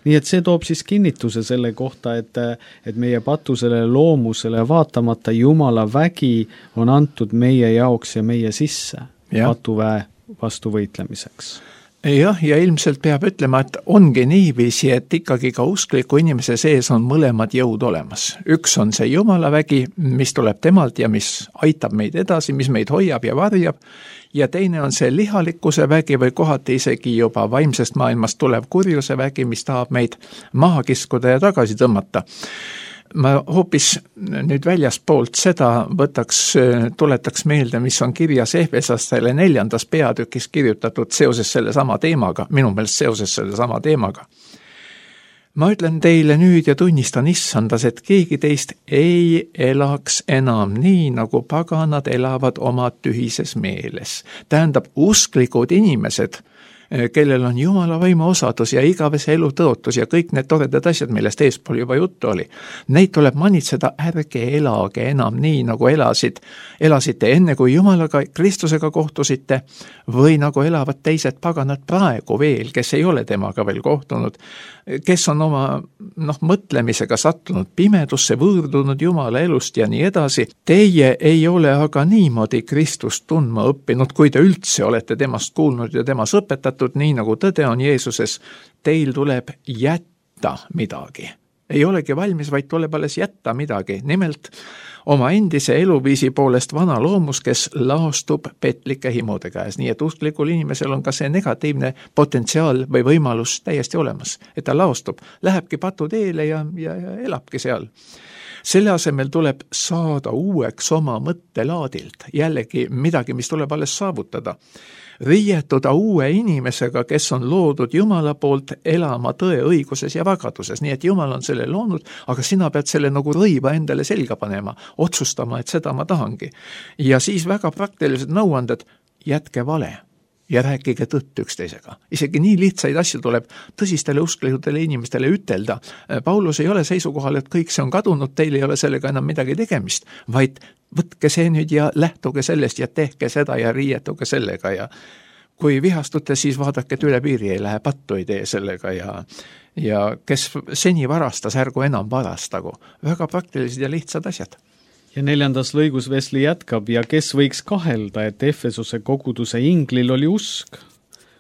Nii et see toob siis kinnituse selle kohta, et meie patusele loomusele vaatamata Jumala vägi on antud meie jaoks ja meie sisse patuväe vastu võitlemiseks. Jah, ja ilmselt peab ütlema, et ongi niiviisi, et ikkagi ka uskliku inimese sees on mõlemad jõud olemas. Üks on see Jumala vägi, mis tuleb temalt ja mis aitab meid edasi, mis meid hoiab ja varjab, ja teine on see lihalikkuse vägi või kohati isegi juba vaimsest maailmast tulev kurjuse vägi, mis tahab meid maha kiskuda ja tagasi tõmmata. Ma hoopis nüüd väljaspoolt seda tuletaks meelde, mis on kirjas Efesastele 4. peatükis kirjutatud seoses selle sama teemaga, minu meelest seoses selle sama teemaga. Ma ütlen teile nüüd ja tunnistan issandas, et keegi teist ei elaks enam nii, nagu paganad elavad oma tühises meeles. Tähendab, usklikud inimesed kellel on Jumala vaimu osadus ja igavese elu tõotus ja kõik need toredad asjad, millest eespool juba juttu oli. Neid tuleb manitseda, ärge elage enam nii, nagu elasite enne, kui Jumalaga, Kristusega kohtusite, või nagu elavad teised paganad praegu veel, kes ei ole temaga veel kohtunud, kes on oma mõtlemisega sattunud pimedusse, võõrdunud Jumala elust ja nii edasi. Teie ei ole aga niimoodi Kristust tundma õppinud, kui te üldse olete temast kuulnud ja temas õpetatud, nii nagu tõde on Jeesuses. Teil tuleb jätta midagi. Ei olegi valmis, vaid tuleb alles jätta midagi. Nimelt oma endise eluviisi poolest vana loomus, kes laostub petlike himude käes. Nii et usklikul inimesel on ka see negatiivne potentsiaal või võimalus täiesti olemas, et ta laostub, lähebki patuteele ja elabki seal. Selle asemel tuleb saada uueks oma mõttelaadilt, jällegi midagi, mis tuleb alles saavutada. Riietuda uue inimesega, kes on loodud Jumala poolt elama tõe, õiguses ja vagaduses. Nii et Jumal on selle loonud, aga sina pead selle nagu rõiva endale selga panema, otsustama, et seda ma tahangi. Ja siis väga praktilised nõuanded, jätke vale ja rääkige tõtt üksteisega. Isegi nii lihtsaid asju tuleb tõsistele usklikutele inimestele ütelda. Paulus ei ole seisukohal, et kõik see on kadunud, teil ei ole sellega enam midagi tegemist, vaid võtke see nüüd ja lähtuge sellest ja tehke seda ja riietuge sellega ja kui vihastute, siis vaadake, et üle piiri ei lähe, pattu ei tee sellega ja kes seni varastas, ärgu enam varastagu. Väga praktilised ja lihtsad asjad. Ja 4. lõigus Wesley jätkab, ja kes võiks kahelda, et Efesuse koguduse inglil oli usk,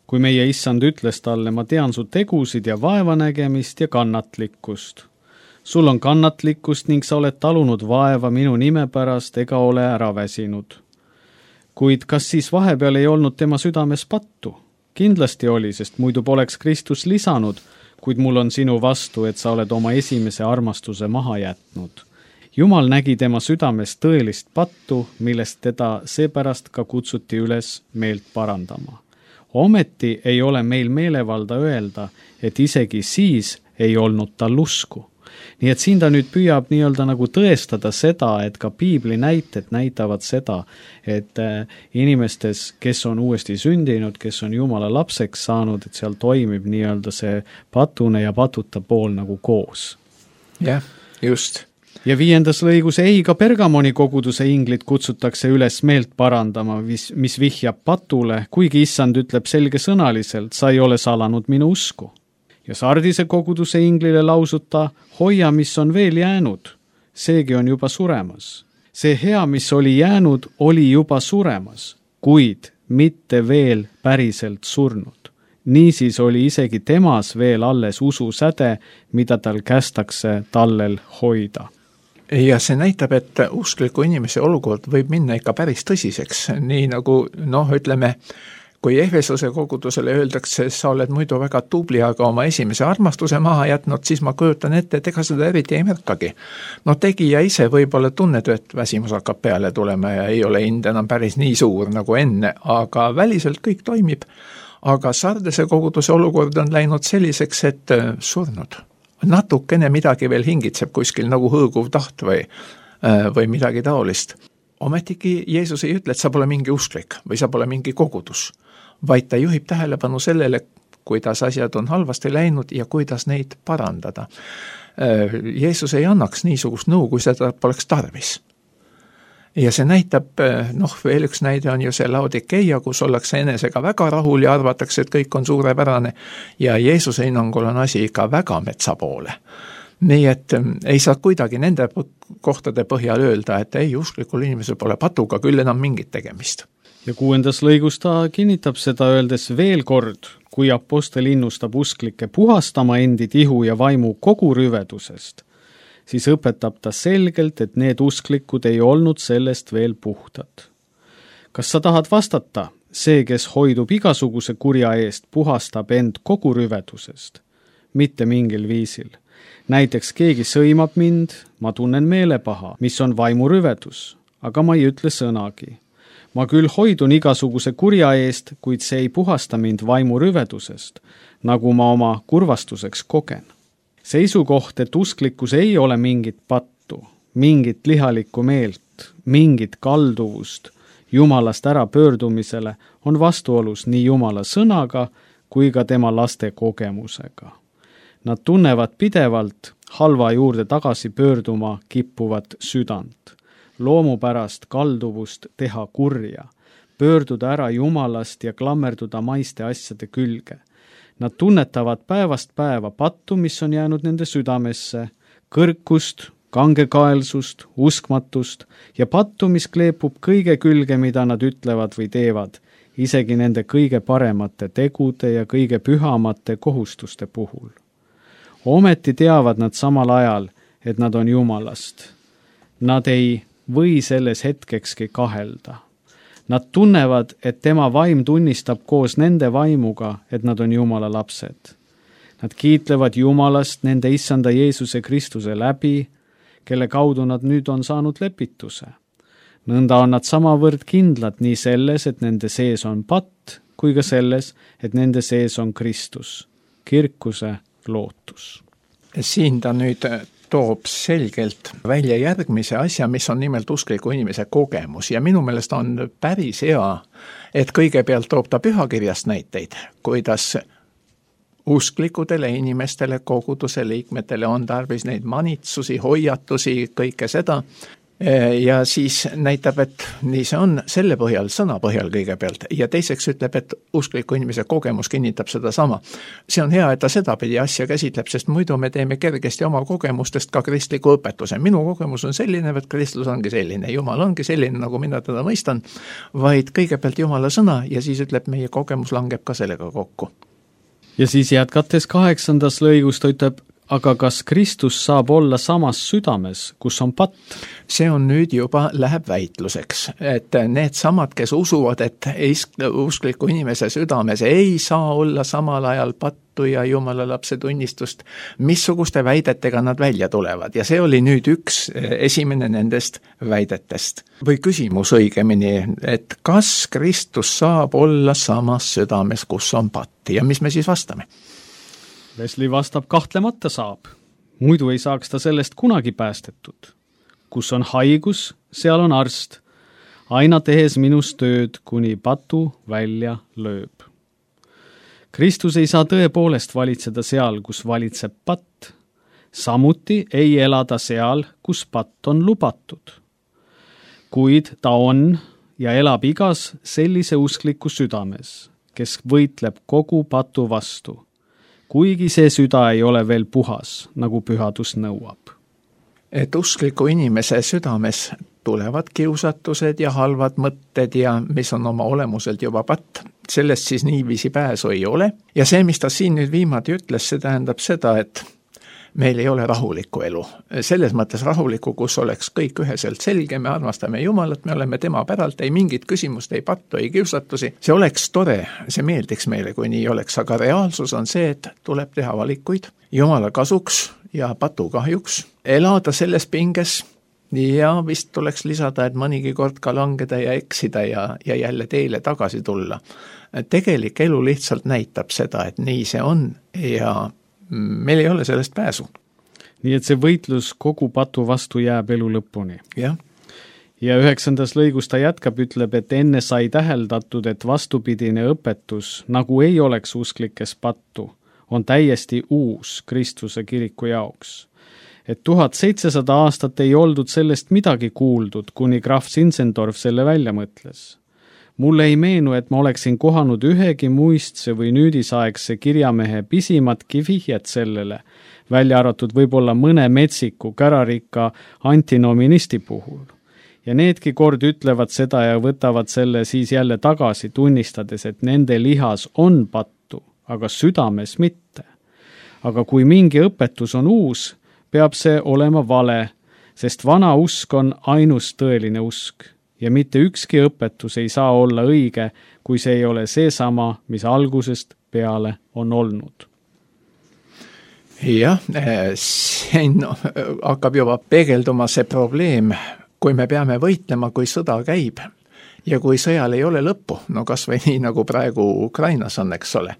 kui meie issand ütles talle, ma tean su tegusid ja vaevanägemist ja kannatlikkust. Sul on kannatlikkust ning sa oled talunud vaeva minu nime pärast ega ole ära väsinud. Kuid kas siis vahepeal ei olnud tema südames pattu? Kindlasti oli, sest muidu poleks Kristus lisanud, kuid mul on sinu vastu, et sa oled oma esimese armastuse maha jätnud. Jumal nägi tema südames tõelist pattu, millest teda seepärast ka kutsuti üles meelt parandama. Ometi ei ole meil meelevalda öelda, et isegi siis ei olnud tal usku. Nii et siin ta nüüd püüab nii-öelda nagu tõestada seda, et ka piibli näited näitavad seda, et inimestes, kes on uuesti sündinud, kes on Jumala lapseks saanud, et seal toimib nii-öelda see patune ja patuta pool nagu koos. Jah, just. Ja 5. lõigus ei, ka Pergamoni koguduse inglit kutsutakse üles meelt parandama, mis vihjab patule, kuigi issand ütleb selgesõnaliselt, sa ei ole salanud minu usku. Ja Sardise koguduse inglile lausuta, hoia, mis on veel jäänud, seegi on juba suremas. See hea, mis oli jäänud, oli juba suremas, kuid mitte veel päriselt surnud. Niisiis oli isegi temas veel alles ususäde, mida tal kästakse tallel hoida. Ja see näitab, et uskliku inimese olukord võib minna ikka päris tõsiseks, nii nagu, ütleme, kui Efesuse kogudusele öeldakse, sa oled muidu väga tubli, aga oma esimese armastuse maha jätnud, siis ma kujutan ette, et ega seda eriti ei märkagi. Tegija ise võib-olla tunned, et väsimus hakkab peale tulema ja ei ole hind enam päris nii suur nagu enne, aga väliselt kõik toimib. Aga Sardise koguduse olukord on läinud selliseks, et surnud. Natukene midagi veel hingitseb kuskil nagu hõõguv taht või midagi taolist. Ometigi Jeesus ei ütle, et sa pole mingi usklik või sa pole mingi kogudus, vaid ta juhib tähelepanu sellele, kuidas asjad on halvasti läinud ja kuidas neid parandada. Jeesus ei annaks niisugust nõu, kui seda poleks tarvis. Ja see näitab, veel üks näide on ju see Laodikeia, kus ollakse enesega väga rahul ja arvatakse, et kõik on suurepärane ja Jeesuse hinnangul on asi ikka väga metsa poole. Nii et ei saa kuidagi nende kohtade põhjal öelda, et ei, usklikul inimesel pole patuga küll enam mingit tegemist. Ja 6. lõigus ta kinnitab seda öeldes veel kord, kui apostel innustab usklikke puhastama endid ihu ja vaimu kogu rüvedusest, siis õpetab ta selgelt, et need usklikud ei olnud sellest veel puhtad. Kas sa tahad vastata, see, kes hoidub igasuguse kurja eest, puhastab end kogu rüvedusest? Mitte mingil viisil. Näiteks keegi sõimab mind, ma tunnen meelepaha, mis on vaimurüvedus, aga ma ei ütle sõnagi. Ma küll hoidun igasuguse kurja eest, kuid see ei puhasta mind vaimurüvedusest, nagu ma oma kurvastuseks kogen. Seisukoht, et usklikkus ei ole mingit pattu, mingit lihalikku meelt, mingit kalduvust Jumalast ära pöördumisele, on vastuolus nii Jumala sõnaga kui ka tema laste kogemusega. Nad tunnevad pidevalt halva juurde tagasi pöörduma kippuvat südant, loomu pärast kalduvust teha kurja, pöörduda ära Jumalast ja klammerduda maiste asjade külge. Nad tunnetavad päevast päeva pattu, mis on jäänud nende südamesse, kõrkust, kangekaelsust, uskmatust ja pattu, mis kleepub kõige külge, mida nad ütlevad või teevad, isegi nende kõige paremate tegude ja kõige pühamate kohustuste puhul. Ometi teavad nad samal ajal, et nad on Jumalast. Nad ei või selles hetkekski kahelda. Nad tunnevad, et tema vaim tunnistab koos nende vaimuga, et nad on Jumala lapsed. Nad kiitlevad Jumalast nende issanda Jeesuse Kristuse läbi, kelle kaudu nad nüüd on saanud lepituse. Nõnda on nad samavõrd kindlad nii selles, et nende sees on patt, kui ka selles, et nende sees on Kristus, kirkuse lootus. Siin ta nüüd toob selgelt välja järgmise asja, mis on nimelt uskliku inimese kogemus ja minu meelest on päris hea, et kõigepealt toob ta pühakirjast näiteid, kuidas usklikudele inimestele, koguduse liikmetele on tarvis neid manitsusi, hoiatusi, kõike seda ja siis näitab, et nii see on selle põhjal, sõna põhjal kõigepealt ja teiseks ütleb, et uskliku inimese kogemus kinnitab seda sama. See on hea, et ta sedapidi asja käsitleb, sest muidu me teeme kergesti oma kogemustest ka kristliku õpetuse. Minu kogemus on selline, et Kristus ongi selline, Jumal ongi selline, nagu mina teda mõistan, vaid kõigepealt Jumala sõna ja siis ütleb, meie kogemus langeb ka sellega kokku. Ja siis jätkates 8. lõigus ta ütleb, aga kas Kristus saab olla samas südames, kus on patt? See on nüüd juba läheb väitluseks, et need samad, kes usuvad, et uskliku inimese südames ei saa olla samal ajal pattu ja Jumala lapse tunnistust, missuguste väidetega nad välja tulevad ja see oli nüüd üks esimene nendest väidetest. Või küsimus õigemini, et kas Kristus saab olla samas südames, kus on patt ja mis me siis vastame? Wesley vastab, kahtlemata saab. Muidu ei saaks ta sellest kunagi päästetud. Kus on haigus, seal on arst. Aina tehes minus tööd, kuni patu välja lööb. Kristus ei saa tõepoolest valitseda seal, kus valitseb patt. Samuti ei elada seal, kus patt on lubatud. Kuid ta on ja elab igas sellise uskliku südames, kes võitleb kogu patu vastu, kuigi see süda ei ole veel puhas, nagu pühadus nõuab. Et uskliku inimese südames tulevad kiusatused ja halvad mõtted ja mis on oma olemuselt juba patt. Sellest siis niiviisi pääsu ei ole. Ja see, mis ta siin nüüd viimati ütles, see tähendab seda, et meil ei ole rahulikku elu. Selles mõttes rahulikku, kus oleks kõik üheselt selge, me armastame Jumalat, me oleme tema päralt, ei mingit küsimust, ei pattu, ei kiusatusi. See oleks tore, see meeldiks meile, kui nii oleks, aga reaalsus on see, et tuleb teha valikuid Jumala kasuks ja patu kahjuks, elada selles pinges ja vist tuleks lisada, et mõnigi kord ka langeda ja eksida ja jälle teile tagasi tulla. Tegelik elu lihtsalt näitab seda, et nii see on ja meil ei ole sellest pääsu. Nii et see võitlus kogu patu vastu jääb elu lõpuni. Jah. Ja 9. lõigus ta jätkab, ütleb, et enne sai täheldatud, et vastupidine õpetus, nagu ei oleks usklikes pattu, on täiesti uus Kristuse kiriku jaoks. Et 1700 aastat ei oldud sellest midagi kuuldud, kuni Graf Zinzendorf selle välja mõtles. Mulle ei meenu, et ma oleksin kohanud ühegi muistse või nüüdisaegse kirjamehe pisimatki vihjet sellele, välja arvatud võib-olla mõne metsiku kärarikka antinomiinisti puhul. Ja needki kord ütlevad seda ja võtavad selle siis jälle tagasi, tunnistades, et nende lihas on pattu, aga südames mitte. Aga kui mingi õpetus on uus, peab see olema vale, sest vana usk on ainus tõeline usk. Ja mitte ükski õpetus ei saa olla õige, kui see ei ole seesama, mis algusest peale on olnud. Jah, siin hakkab juba peegelduma see probleem, kui me peame võitlema, kui sõda käib ja kui sõjal ei ole lõppu, no kas või nii nagu praegu Ukrainas on, eks ole.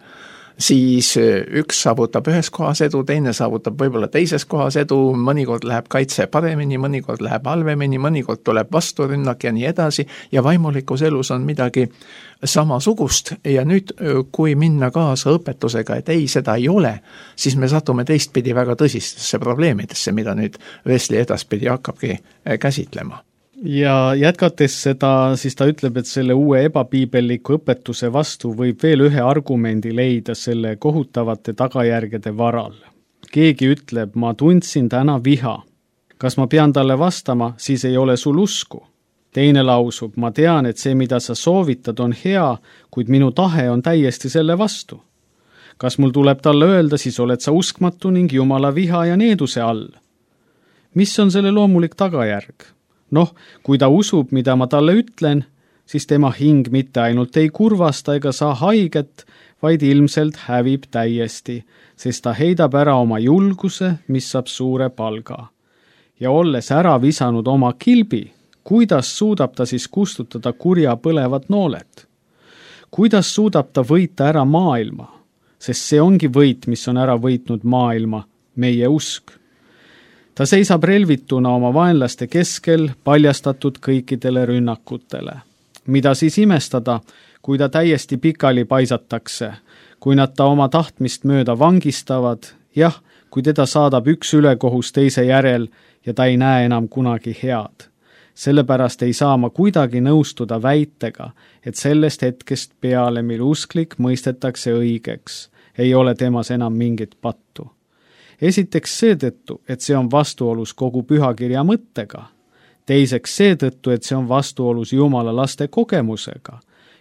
siis üks saavutab ühes kohas edu, teine saavutab võib-olla teises kohas edu, mõnikord läheb kaitse paremini, mõnikord läheb halvemini, mõnikord tuleb vasturünnak ja nii edasi ja vaimulikus elus on midagi samasugust ja nüüd, kui minna kaasa õpetusega, et ei, seda ei ole, siis me satume teistpidi väga tõsistesse probleemidesse, mida nüüd Wesley edaspidi hakkabki käsitlema. Ja jätkates seda, siis ta ütleb, et selle uue ebapiibelliku õpetuse vastu võib veel ühe argumendi leida selle kohutavate tagajärgede varal. Keegi ütleb, ma tundsin täna viha. Kas ma pean talle vastama, siis ei ole sul usku. Teine lausub, ma tean, et see, mida sa soovitad, on hea, kuid minu tahe on täiesti selle vastu. Kas mul tuleb talle öelda, siis oled sa uskmatu ning Jumala viha ja needuse all. Mis on selle loomulik tagajärg? Noh, kui ta usub, mida ma talle ütlen, siis tema hing mitte ainult ei kurvasta ega saa haiget, vaid ilmselt hävib täiesti, sest ta heidab ära oma julguse, mis saab suure palga. Ja olles ära visanud oma kilbi, kuidas suudab ta siis kustutada kurja põlevad nooled? Kuidas suudab ta võita ära maailma? Sest see ongi võit, mis on ära võitnud maailma, meie usk. Ta seisab relvituna oma vaenlaste keskel, paljastatud kõikidele rünnakutele. Mida siis imestada, kui ta täiesti pikali paisatakse, kui nad ta oma tahtmist mööda vangistavad, jah, kui teda saadab üks ülekohus teise järel ja ta ei näe enam kunagi head. Sellepärast ei saa ma kuidagi nõustuda väitega, et sellest hetkest peale, mil usklik mõistetakse õigeks, ei ole temas enam mingit pattu. Esiteks seetõttu, et see on vastuolus kogu pühakirja mõttega. Teiseks seetõttu, et see on vastuolus Jumala laste kogemusega.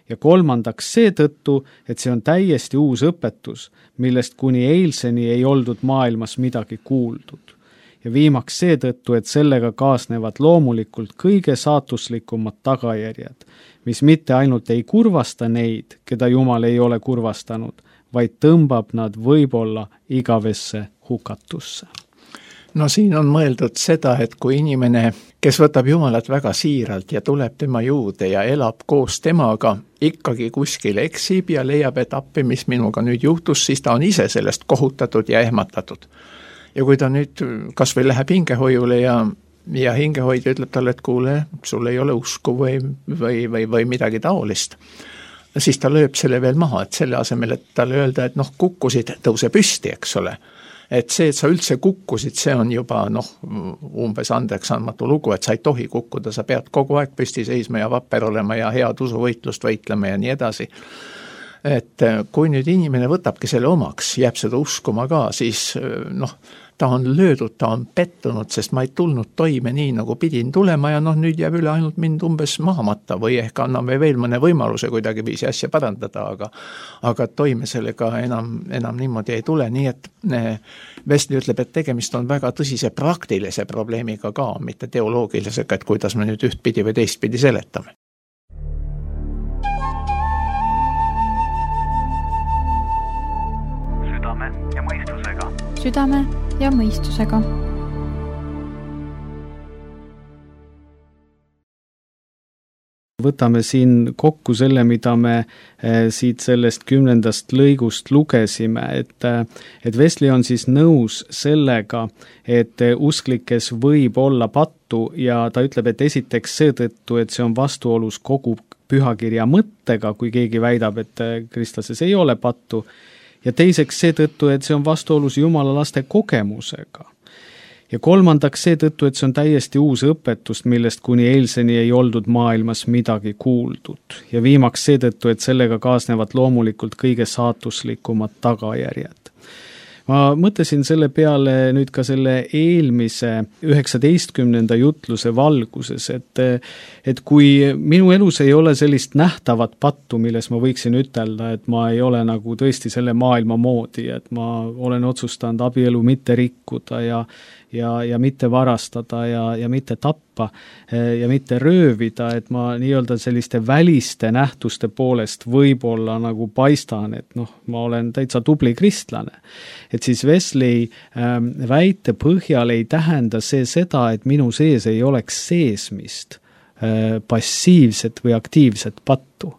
Ja kolmandaks seetõttu, et see on täiesti uus õpetus, millest kuni eilseni ei oldud maailmas midagi kuuldud. Ja viimaks seetõttu, et sellega kaasnevad loomulikult kõige saatuslikumad tagajärjed, mis mitte ainult ei kurvasta neid, keda Jumal ei ole kurvastanud, vaid tõmbab nad võib-olla igavesse hukatusse. No siin on mõeldud seda, et kui inimene, kes võtab Jumalat väga siiralt ja tuleb tema juurde ja elab koos temaga, ikkagi kuskil eksib ja leiab, et appi, mis minuga nüüd juhtus, siis ta on ise sellest kohutatud ja ehmatatud. Ja kui ta nüüd kas või läheb hingehoiule ja hingehoidja ütleb talle, et kuule, sul ei ole usku või midagi taolist, siis ta lööb selle veel maha, et selle asemel, et talle öelda, et kukkusid, tõuse püsti, eks ole. Et see, et sa üldse kukkusid, see on juba umbes andeks andmatu lugu, et sa ei tohi kukkuda, sa pead kogu aeg püsti seisma ja vapper olema ja head usuvõitlust võitlema ja nii edasi. Et kui nüüd inimene võtabki selle omaks, jääb seda uskuma ka, siis ta on löödud, ta on pettunud, sest ma ei tulnud toime nii, nagu pidin tulema ja nüüd jääb üle ainult mind umbes mahamata või ehk anname veel mõne võimaluse kuidagi viisi asja parandada, aga toime sellega enam niimoodi ei tule, nii et Wesley ütleb, et tegemist on väga tõsise praktilise probleemiga ka, mitte teoloogilisega, et kuidas me nüüd ühtpidi või teistpidi seletame. Südame ja mõistusega. Võtame siin kokku selle, mida me siit sellest 10. lõigust lugesime, et Wesley on siis nõus sellega, et usklikes võib olla pattu ja ta ütleb, et esiteks seetõttu, et see on vastuolus kogu pühakirja mõttega, kui keegi väidab, et kristlases ei ole pattu, ja teiseks seetõttu, et see on vastuolus Jumala laste kogemusega. Ja kolmandaks seetõttu, et see on täiesti uus õpetust, millest kuni eilseni ei oldud maailmas midagi kuuldud. Ja viimaks seetõttu, et sellega kaasnevad loomulikult kõige saatuslikumad tagajärjed. Ma mõtlesin selle peale nüüd ka selle eelmise 19. jutluse valguses, et kui minu elus ei ole sellist nähtavat pattu, milles ma võiksin ütelda, et ma ei ole nagu tõesti selle maailma moodi, et ma olen otsustanud abielu mitte rikkuda ja mitte varastada ja mitte tappa ja mitte röövida, et ma nii-öelda selliste väliste nähtuste poolest võib-olla nagu paistan, et ma olen täitsa tubli kristlane. Et siis Wesley väite põhjal ei tähenda see seda, et minu sees ei oleks seesmist passiivset või aktiivset pattu.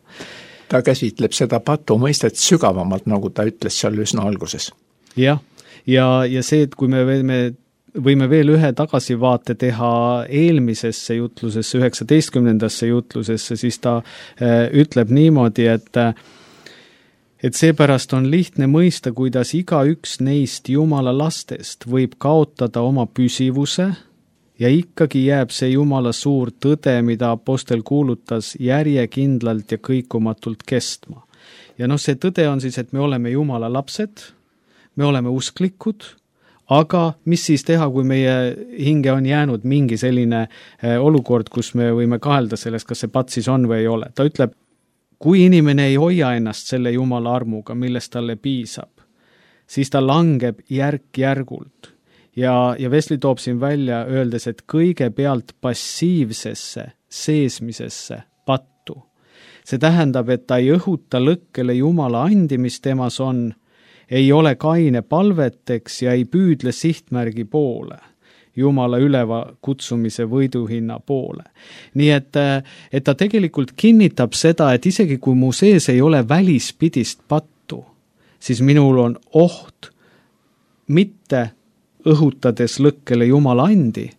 ta käsitleb seda patu mõistet sügavamalt, nagu ta ütles seal üsna alguses. Jah, ja see, et kui me võime veel ühe tagasivaate teha eelmisesse jutlusesse, 19. jutlusesse, siis ta ütleb niimoodi, et seepärast on lihtne mõista, kuidas igaüks neist Jumala lastest võib kaotada oma püsivuse ja ikkagi jääb see Jumala suur tõde, mida apostel kuulutas järjekindlalt ja kõikumatult kestma. Ja see tõde on siis, et me oleme Jumala lapsed, me oleme usklikud, aga mis siis teha, kui meie hinge on jäänud mingi selline olukord, kus me võime kahelda sellest, kas see pat siis on või ei ole. Ta ütleb, kui inimene ei hoia ennast selle Jumala armuga, millest talle piisab, siis ta langeb järk-järgult. Ja Wesley toob siin välja, öeldes, et kõigepealt passiivsesse seesmisesse pattu. See tähendab, et ta ei õhuta lõkkele Jumala andi, mis temas on, ei ole kaine palveteks ja ei püüdle sihtmärgi poole, Jumala üleva kutsumise võiduhinna poole. Nii et ta tegelikult kinnitab seda, et isegi kui mu sees ei ole välispidist pattu, siis minul on oht mitte õhutades lõkkele Jumala andi,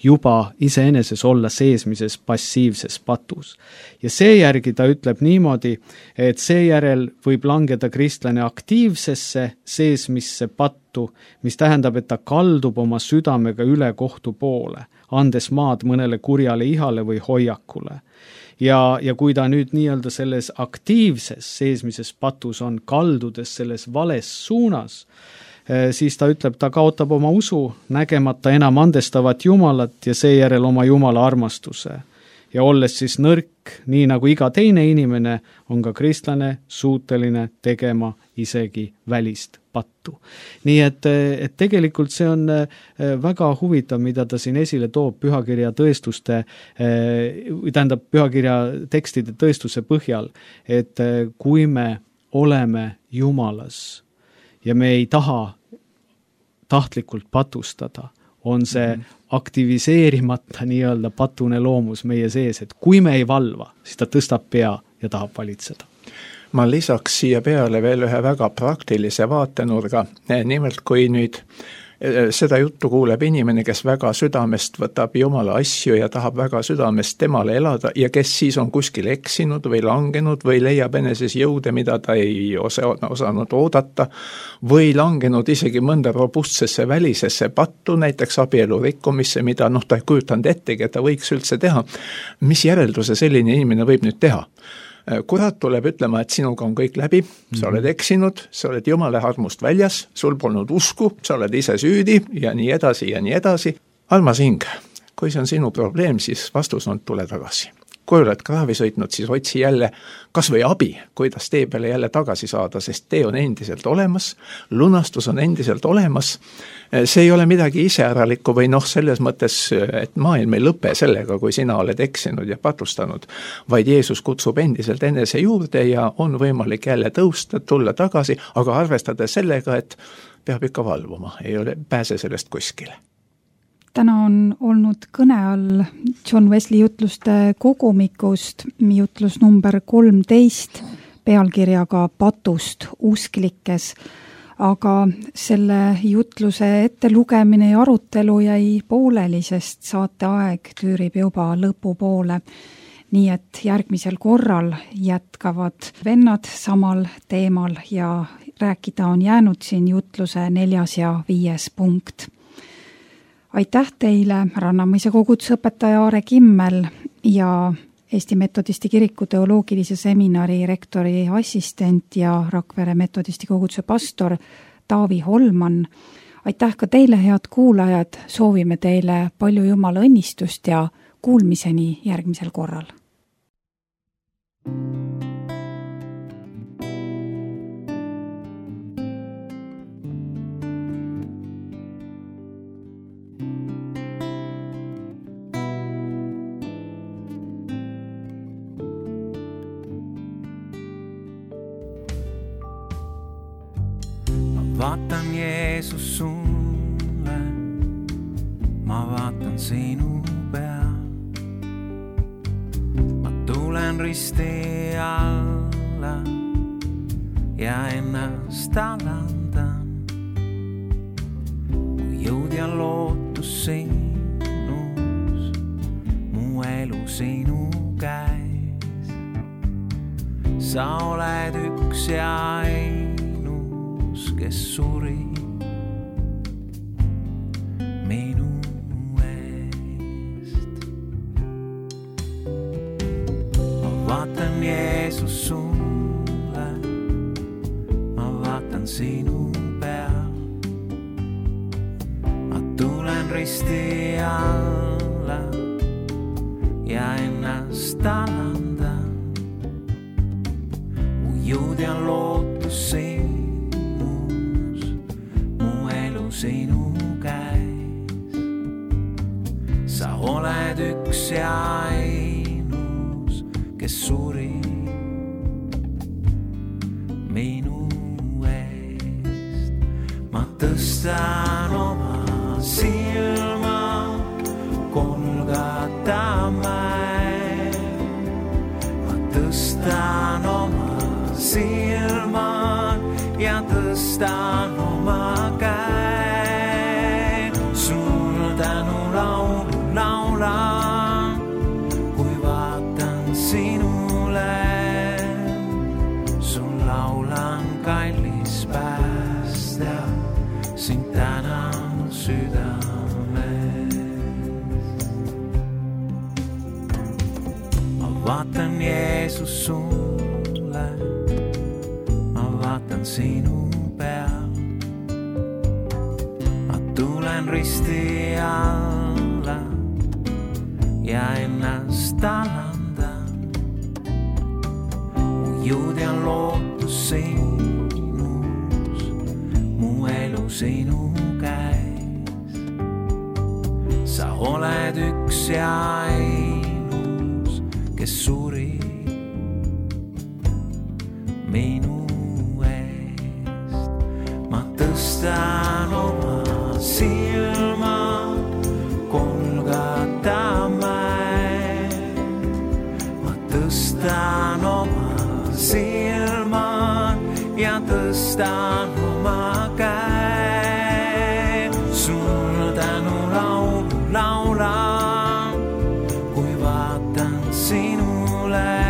juba iseeneses olla seesmises passiivses patus. Ja seejärgi ta ütleb niimoodi, et seejärel võib langeda kristlane aktiivsesse seesmisse pattu, mis tähendab, et ta kaldub oma südamega üle kohtu poole, andes maad mõnele kurjale ihale või hoiakule. Ja kui ta nüüd nii-öelda selles aktiivses seesmises patus on, kaldudes selles vales suunas, siis ta ütleb, ta kaotab oma usu, nägemata enam andestavat Jumalat ja seejärel oma Jumala armastuse. Ja olles siis nõrk, nii nagu iga teine inimene, on ka kristlane suuteline tegema isegi välist pattu. Nii et tegelikult see on väga huvitav, mida ta siin esile toob pühakirja tõestuste, tähendab pühakirja tekstide tõestuse põhjal, et kui me oleme Jumalas, ja me ei taha tahtlikult patustada, on see aktiviseerimata nii-öelda patune loomus meie sees, et kui me ei valva, siis ta tõstab pea ja tahab valitseda. Ma lisaks siia peale veel ühe väga praktilise vaatenurga, nimelt kui nüüd seda juttu kuuleb inimene, kes väga südamest võtab Jumala asju ja tahab väga südamest temale elada ja kes siis on kuskil eksinud või langenud või leiab eneses jõude, mida ta ei osanud oodata või langenud isegi mõnda robustsesse välisesse pattu, näiteks abielu rikkumisse, mida ta ei kujutanud ettegi, et ta võiks üldse teha. Mis järelduse selline inimene võib nüüd teha? Kurat tuleb ütlema, et sinuga on kõik läbi, sa oled eksinud, sa oled Jumala armust väljas, sul polnud usku, sa oled ise süüdi ja nii edasi ja nii edasi. Almas hing, kui see on sinu probleem, siis vastus on, tule tagasi. Kui oled kraavi sõitnud, siis otsi jälle kas või abi, kuidas tee peale jälle tagasi saada, sest tee on endiselt olemas, lunastus on endiselt olemas. See ei ole midagi iseäralikku või selles mõttes, et maailm ei lõpe sellega, kui sina oled eksinud ja patustanud, vaid Jeesus kutsub endiselt enese juurde ja on võimalik jälle tõusta, tulla tagasi, aga arvestades sellega, et peab ikka valvuma, ei pääse sellest kuskile. Täna on olnud kõne all John Wesley jutluste kogumikust, jutlus number 13, pealkirjaga Patust usklikes, aga selle jutluse ettelugemine ja arutelu jäi pooleli, sest saate aeg tüürib juba lõpupoole. Nii et järgmisel korral jätkavad vennad samal teemal ja rääkida on jäänud siin jutluse 4. ja 5. punkt. Aitäh teile, Rannamõisa kogudusõpetaja Aare Kimmel ja Eesti Metodisti Kiriku teoloogilise seminari rektori assistent ja Rakvere Metodisti koguduse pastor Taavi Holman. Aitäh ka teile, head kuulajad, soovime teile palju Jumala õnnistust ja kuulmiseni järgmisel korral. Vaatan Jeesus sulle, ma vaatan sinu pea. Ma tulen risti all alla ja ennast alandan. Kui jõud ja lootus sinus, mu elu sinu käes. Sa oled üks ja ainus, kes suri minu eest. Ma vaatan Jeesus sulle, ma vaatan sinu peal. Ma tulen risti alla ja ennast alandan. Mu jõud ja lootus sinus, mu elu sinu käes. Sa oled üks ja ainus, kes suri minu eest. Ma tõstan oma silma Golgata mäel. Ma tõstan oma silma ja tõstan oma käe. Sul tänu laulu laulan, kui vaatan sinule. Sul laulan kallis päästja, sind tänan südames. Ma vaatan Jeesus sulle, ma vaatan sinu peal. Ma tulen risti alla ja ennast alandan. Mu jõud ja lootus sinus, mu elu sinu käes. Sa oled üks ja ainus, kes suri minu eest. Ma tõstan oma silma Golgata mäel. Ma tõstan oma silma ja tõstan oma käe. Sul tänu laulu laulan, kui vaatan sinule.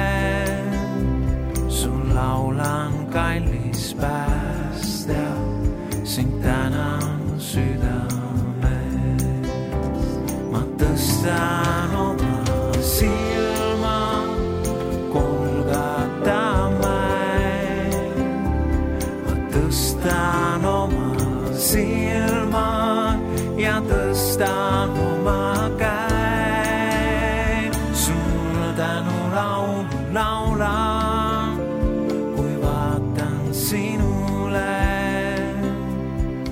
Sul laulan kallis päästja, sind tänan südames. Ma tõstan oma silma Golgata mäel. Ma tõstan oma silma ja tõstan oma käe. Sul tänu laulu laulan, kui vaatan sinule.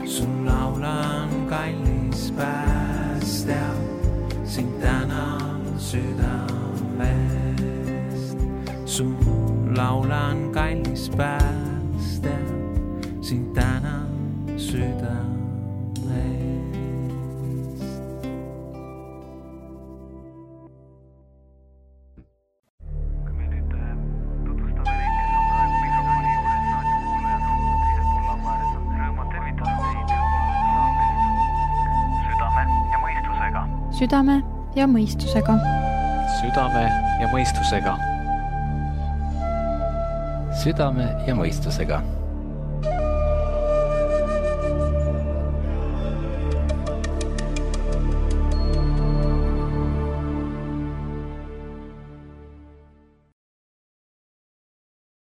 Sul laulan kallis päästja, sind tänan südamest. Sul laulan kallis päästja, sind tänan südamest. Kui me nüüd tutvustame neid, kes on praegu mikrofoni juures raadiokuulajad on teisel pool lambaääres, on rõõmu tervitada teid saatest Südame ja mõistusega. Südame ja mõistusega. Südame ja mõistusega. Südame ja mõistusega.